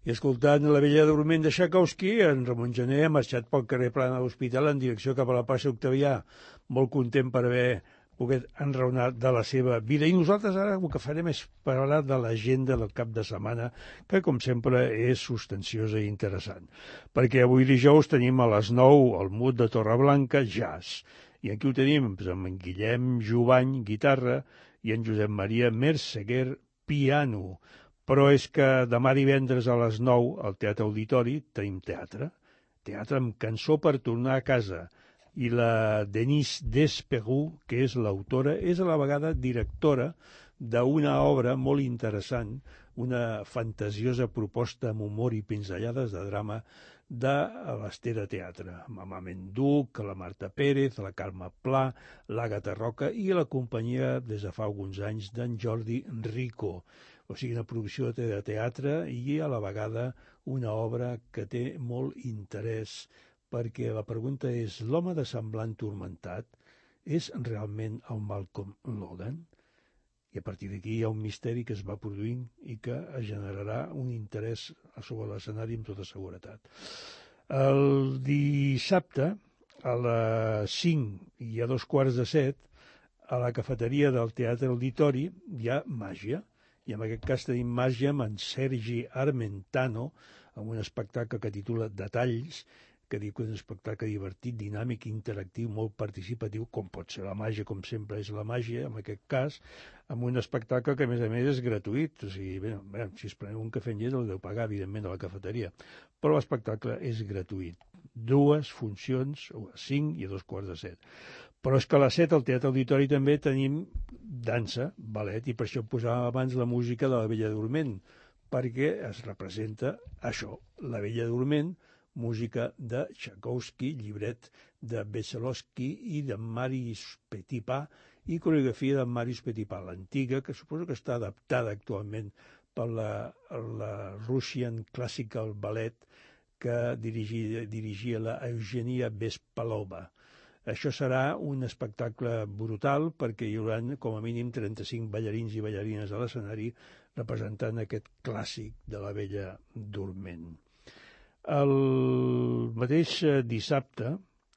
[SPEAKER 13] I escoltant La Bella Dorment de Txaikovski, en Ramon Gené ha marxat pel carrer Plana de l'Hospital en direcció cap a la plaça Octavià, molt content per haver pogut enraonar de la seva vida. I nosaltres ara el que farem és parlar de l'agenda del cap de setmana, que com sempre és substanciosa i interessant. Perquè avui dijous tenim a les nou el Mut de Torreblanca, jazz. I aquí ho tenim amb en Guillem Jubany, guitarra, i en Josep Maria Merseguer, piano. Però és que demà divendres a les nou al Teatre Auditori tenim teatre. Teatre amb cançó per tornar a casa. I la Denise Despegou, que és l'autora, és a la vegada directora d'una obra molt interessant, una fantasiosa proposta amb humor i pinzellades de drama de l'Estera Teatre, amb Mamament Duc, la Marta Pérez, la Carme Pla, l'Àgata Roca i la companyia des de fa alguns anys d'en Jordi Rico. O sigui, una producció de teatre i a la vegada una obra que té molt interès, perquè la pregunta és, l'home de semblant turmentat és realment el Malcolm Logan? I a partir d'aquí hi ha un misteri que es va produint i que generarà un interès sobre l'escenari amb tota seguretat. El dissabte, a les cinc i a dos quarts de set, a la cafeteria del Teatre Auditori hi ha màgia, i en aquest cas tenim màgia amb en Sergi Armentano, amb un espectacle que titula Detalls, que diu que és un espectacle divertit, dinàmic, interactiu, molt participatiu, com pot ser la màgia, com sempre és la màgia, en aquest cas, amb un espectacle que, a més a més, és gratuït. O sigui, bé, bé, si es preneu un cafè amb llet, el deu pagar, evidentment, a la cafeteria. Però l'espectacle és gratuït. Dues funcions, a cinc i a dos quarts de set. Però és que a les set al Teatre Auditori també tenim dansa, ballet, i per això posàvem abans la música de La Bella Dorment, perquè es representa això, La Bella Dorment, música de Tchaikovsky, llibret de Veselovsky i de Marius Petipa, i coreografia de Marius Petipa, l'antiga, que suposo que està adaptada actualment per la, la Russian Classical Ballet que dirigia, dirigia la Eugenia Bespalova. Això serà un espectacle brutal perquè hi haurà com a mínim trenta-cinc ballarins i ballarines a l'escenari representant aquest clàssic de La Bella Dorment. El mateix dissabte,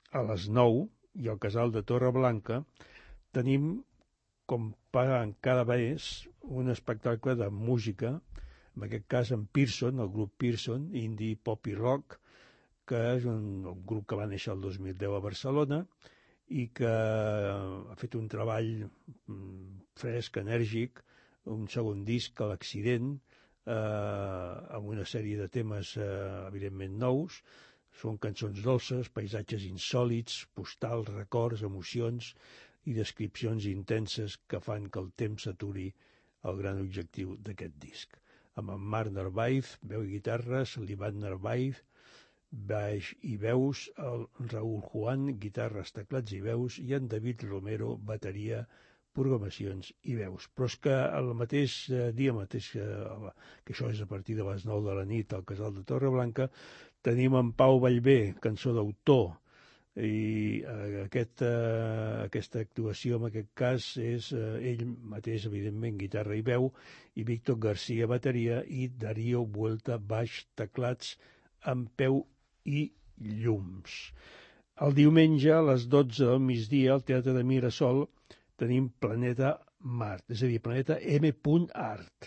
[SPEAKER 13] a les nou, i al Casal de Torreblanca, tenim, com paguen cada mes, un espectacle de música, en aquest cas en Pearson, el grup Pearson, indie pop i rock, que és un, un grup que va néixer el dos mil deu a Barcelona i que ha fet un treball fresc, enèrgic, un segon disc, a l'Accident, Eh, amb una sèrie de temes eh, evidentment nous. Són cançons dolces, paisatges insòlits, postals, records, emocions i descripcions intenses que fan que el temps s'aturi el gran objectiu d'aquest disc. Amb en Marc Narváez, veu i guitarres, l'Ivan Narváez, baix i veus, el Raúl Juan, guitarres, teclats i veus, i en David Romero, bateria, programacions i veus. Però és que el mateix dia, mateix, que això és a partir de les nou de la nit al Casal de Torreblanca, tenim en Pau Vallvé, cançó d'autor, i aquest, aquesta actuació en aquest cas és ell mateix, evidentment, guitarra i veu, i Víctor García, bateria, i Darío Vuelta, baix, teclats, amb peu i llums. El diumenge, a les dotze del migdia, al Teatre de Mirasol, tenim Planeta Mart, és a dir, Planeta M. Art,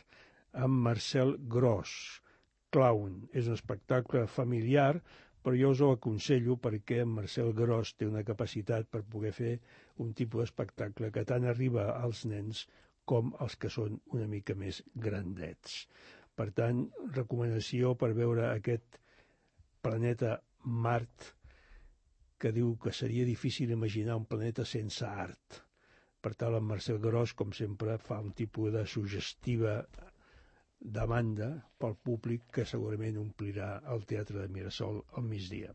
[SPEAKER 13] amb Marcel Gros, Clown. És un espectacle familiar, però jo us ho aconsello perquè Marcel Gros té una capacitat per poder fer un tipus d'espectacle que tant arriba als nens com als que són una mica més grandets. Per tant, recomanació per veure aquest Planeta Mart, que diu que seria difícil imaginar un planeta sense art. Per tant, en Marcel Gros, com sempre, fa un tipus de suggestiva demanda pel públic que segurament omplirà el Teatre de Mirasol al migdia.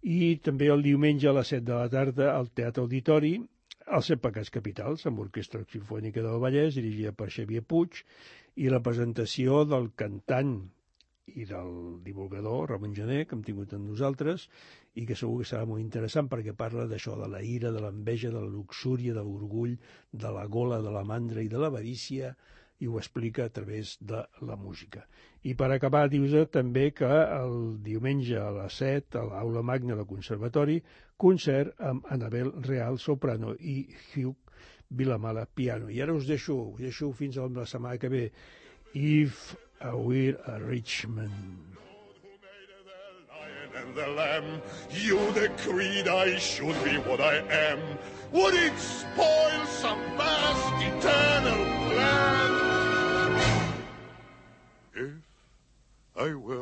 [SPEAKER 13] I també el diumenge a les set de la tarda al Teatre Auditori, els Set Pecats Capitals, amb Orquestra Simfònica del Vallès, dirigida per Xavier Puig, i la presentació del cantant i del divulgador, Ramon Gené, que hem tingut amb nosaltres, i que segur que serà molt interessant perquè parla d'això, de la ira, de l'enveja, de la luxúria, de l'orgull, de la gola, de la mandra i de l'avarícia, i ho explica a través de la música. I per acabar, dius també que el diumenge a les set, a l'Aula Magna del Conservatori, concert amb Anabel Real, soprano, i Hugh Vilamala, piano. I ara us deixo, us deixo fins a la setmana que ve. If I were a rich man.
[SPEAKER 12] And the lamb, you decreed I should be what I am. Would it spoil some vast eternal plan? If I were